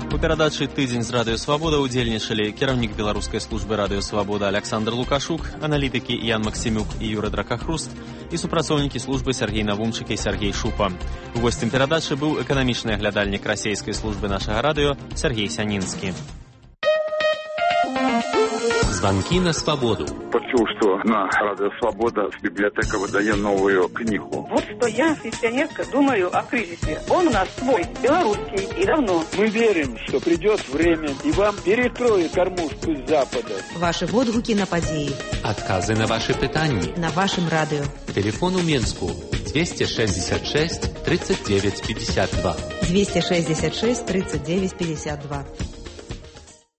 У перадачы «Тыдзень з Радыё Свабода» удзельнічалі кіраўнік беларускай службы Радыё Свабода Александр Лукашук, аналітыкі Ян Максімюк і Юры Дракахруст і супрацоўнікі службы Сергей Навумчык і Сергей Шупа. Госцем перадачы быў эканамічны аглядальнік расейскай службы нашага радыё Сергей Сянінскі. Звонки на свободу. Почув, что на Радио Свобода библиотека выдает новую книгу. Вот что я, пенсионерка, думаю о кризисе. Он у нас свой, белорусский, и давно. Мы верим, что придет время, и вам перекроют кормушку с Запада. Ваши водгуки на подеи. Отказы на ваши питания. На вашем радио. Телефон у Минску двести шестьдесят шесть тридцать девять пятьдесят два. двести шестьдесят шесть тридцать девять пятьдесят два.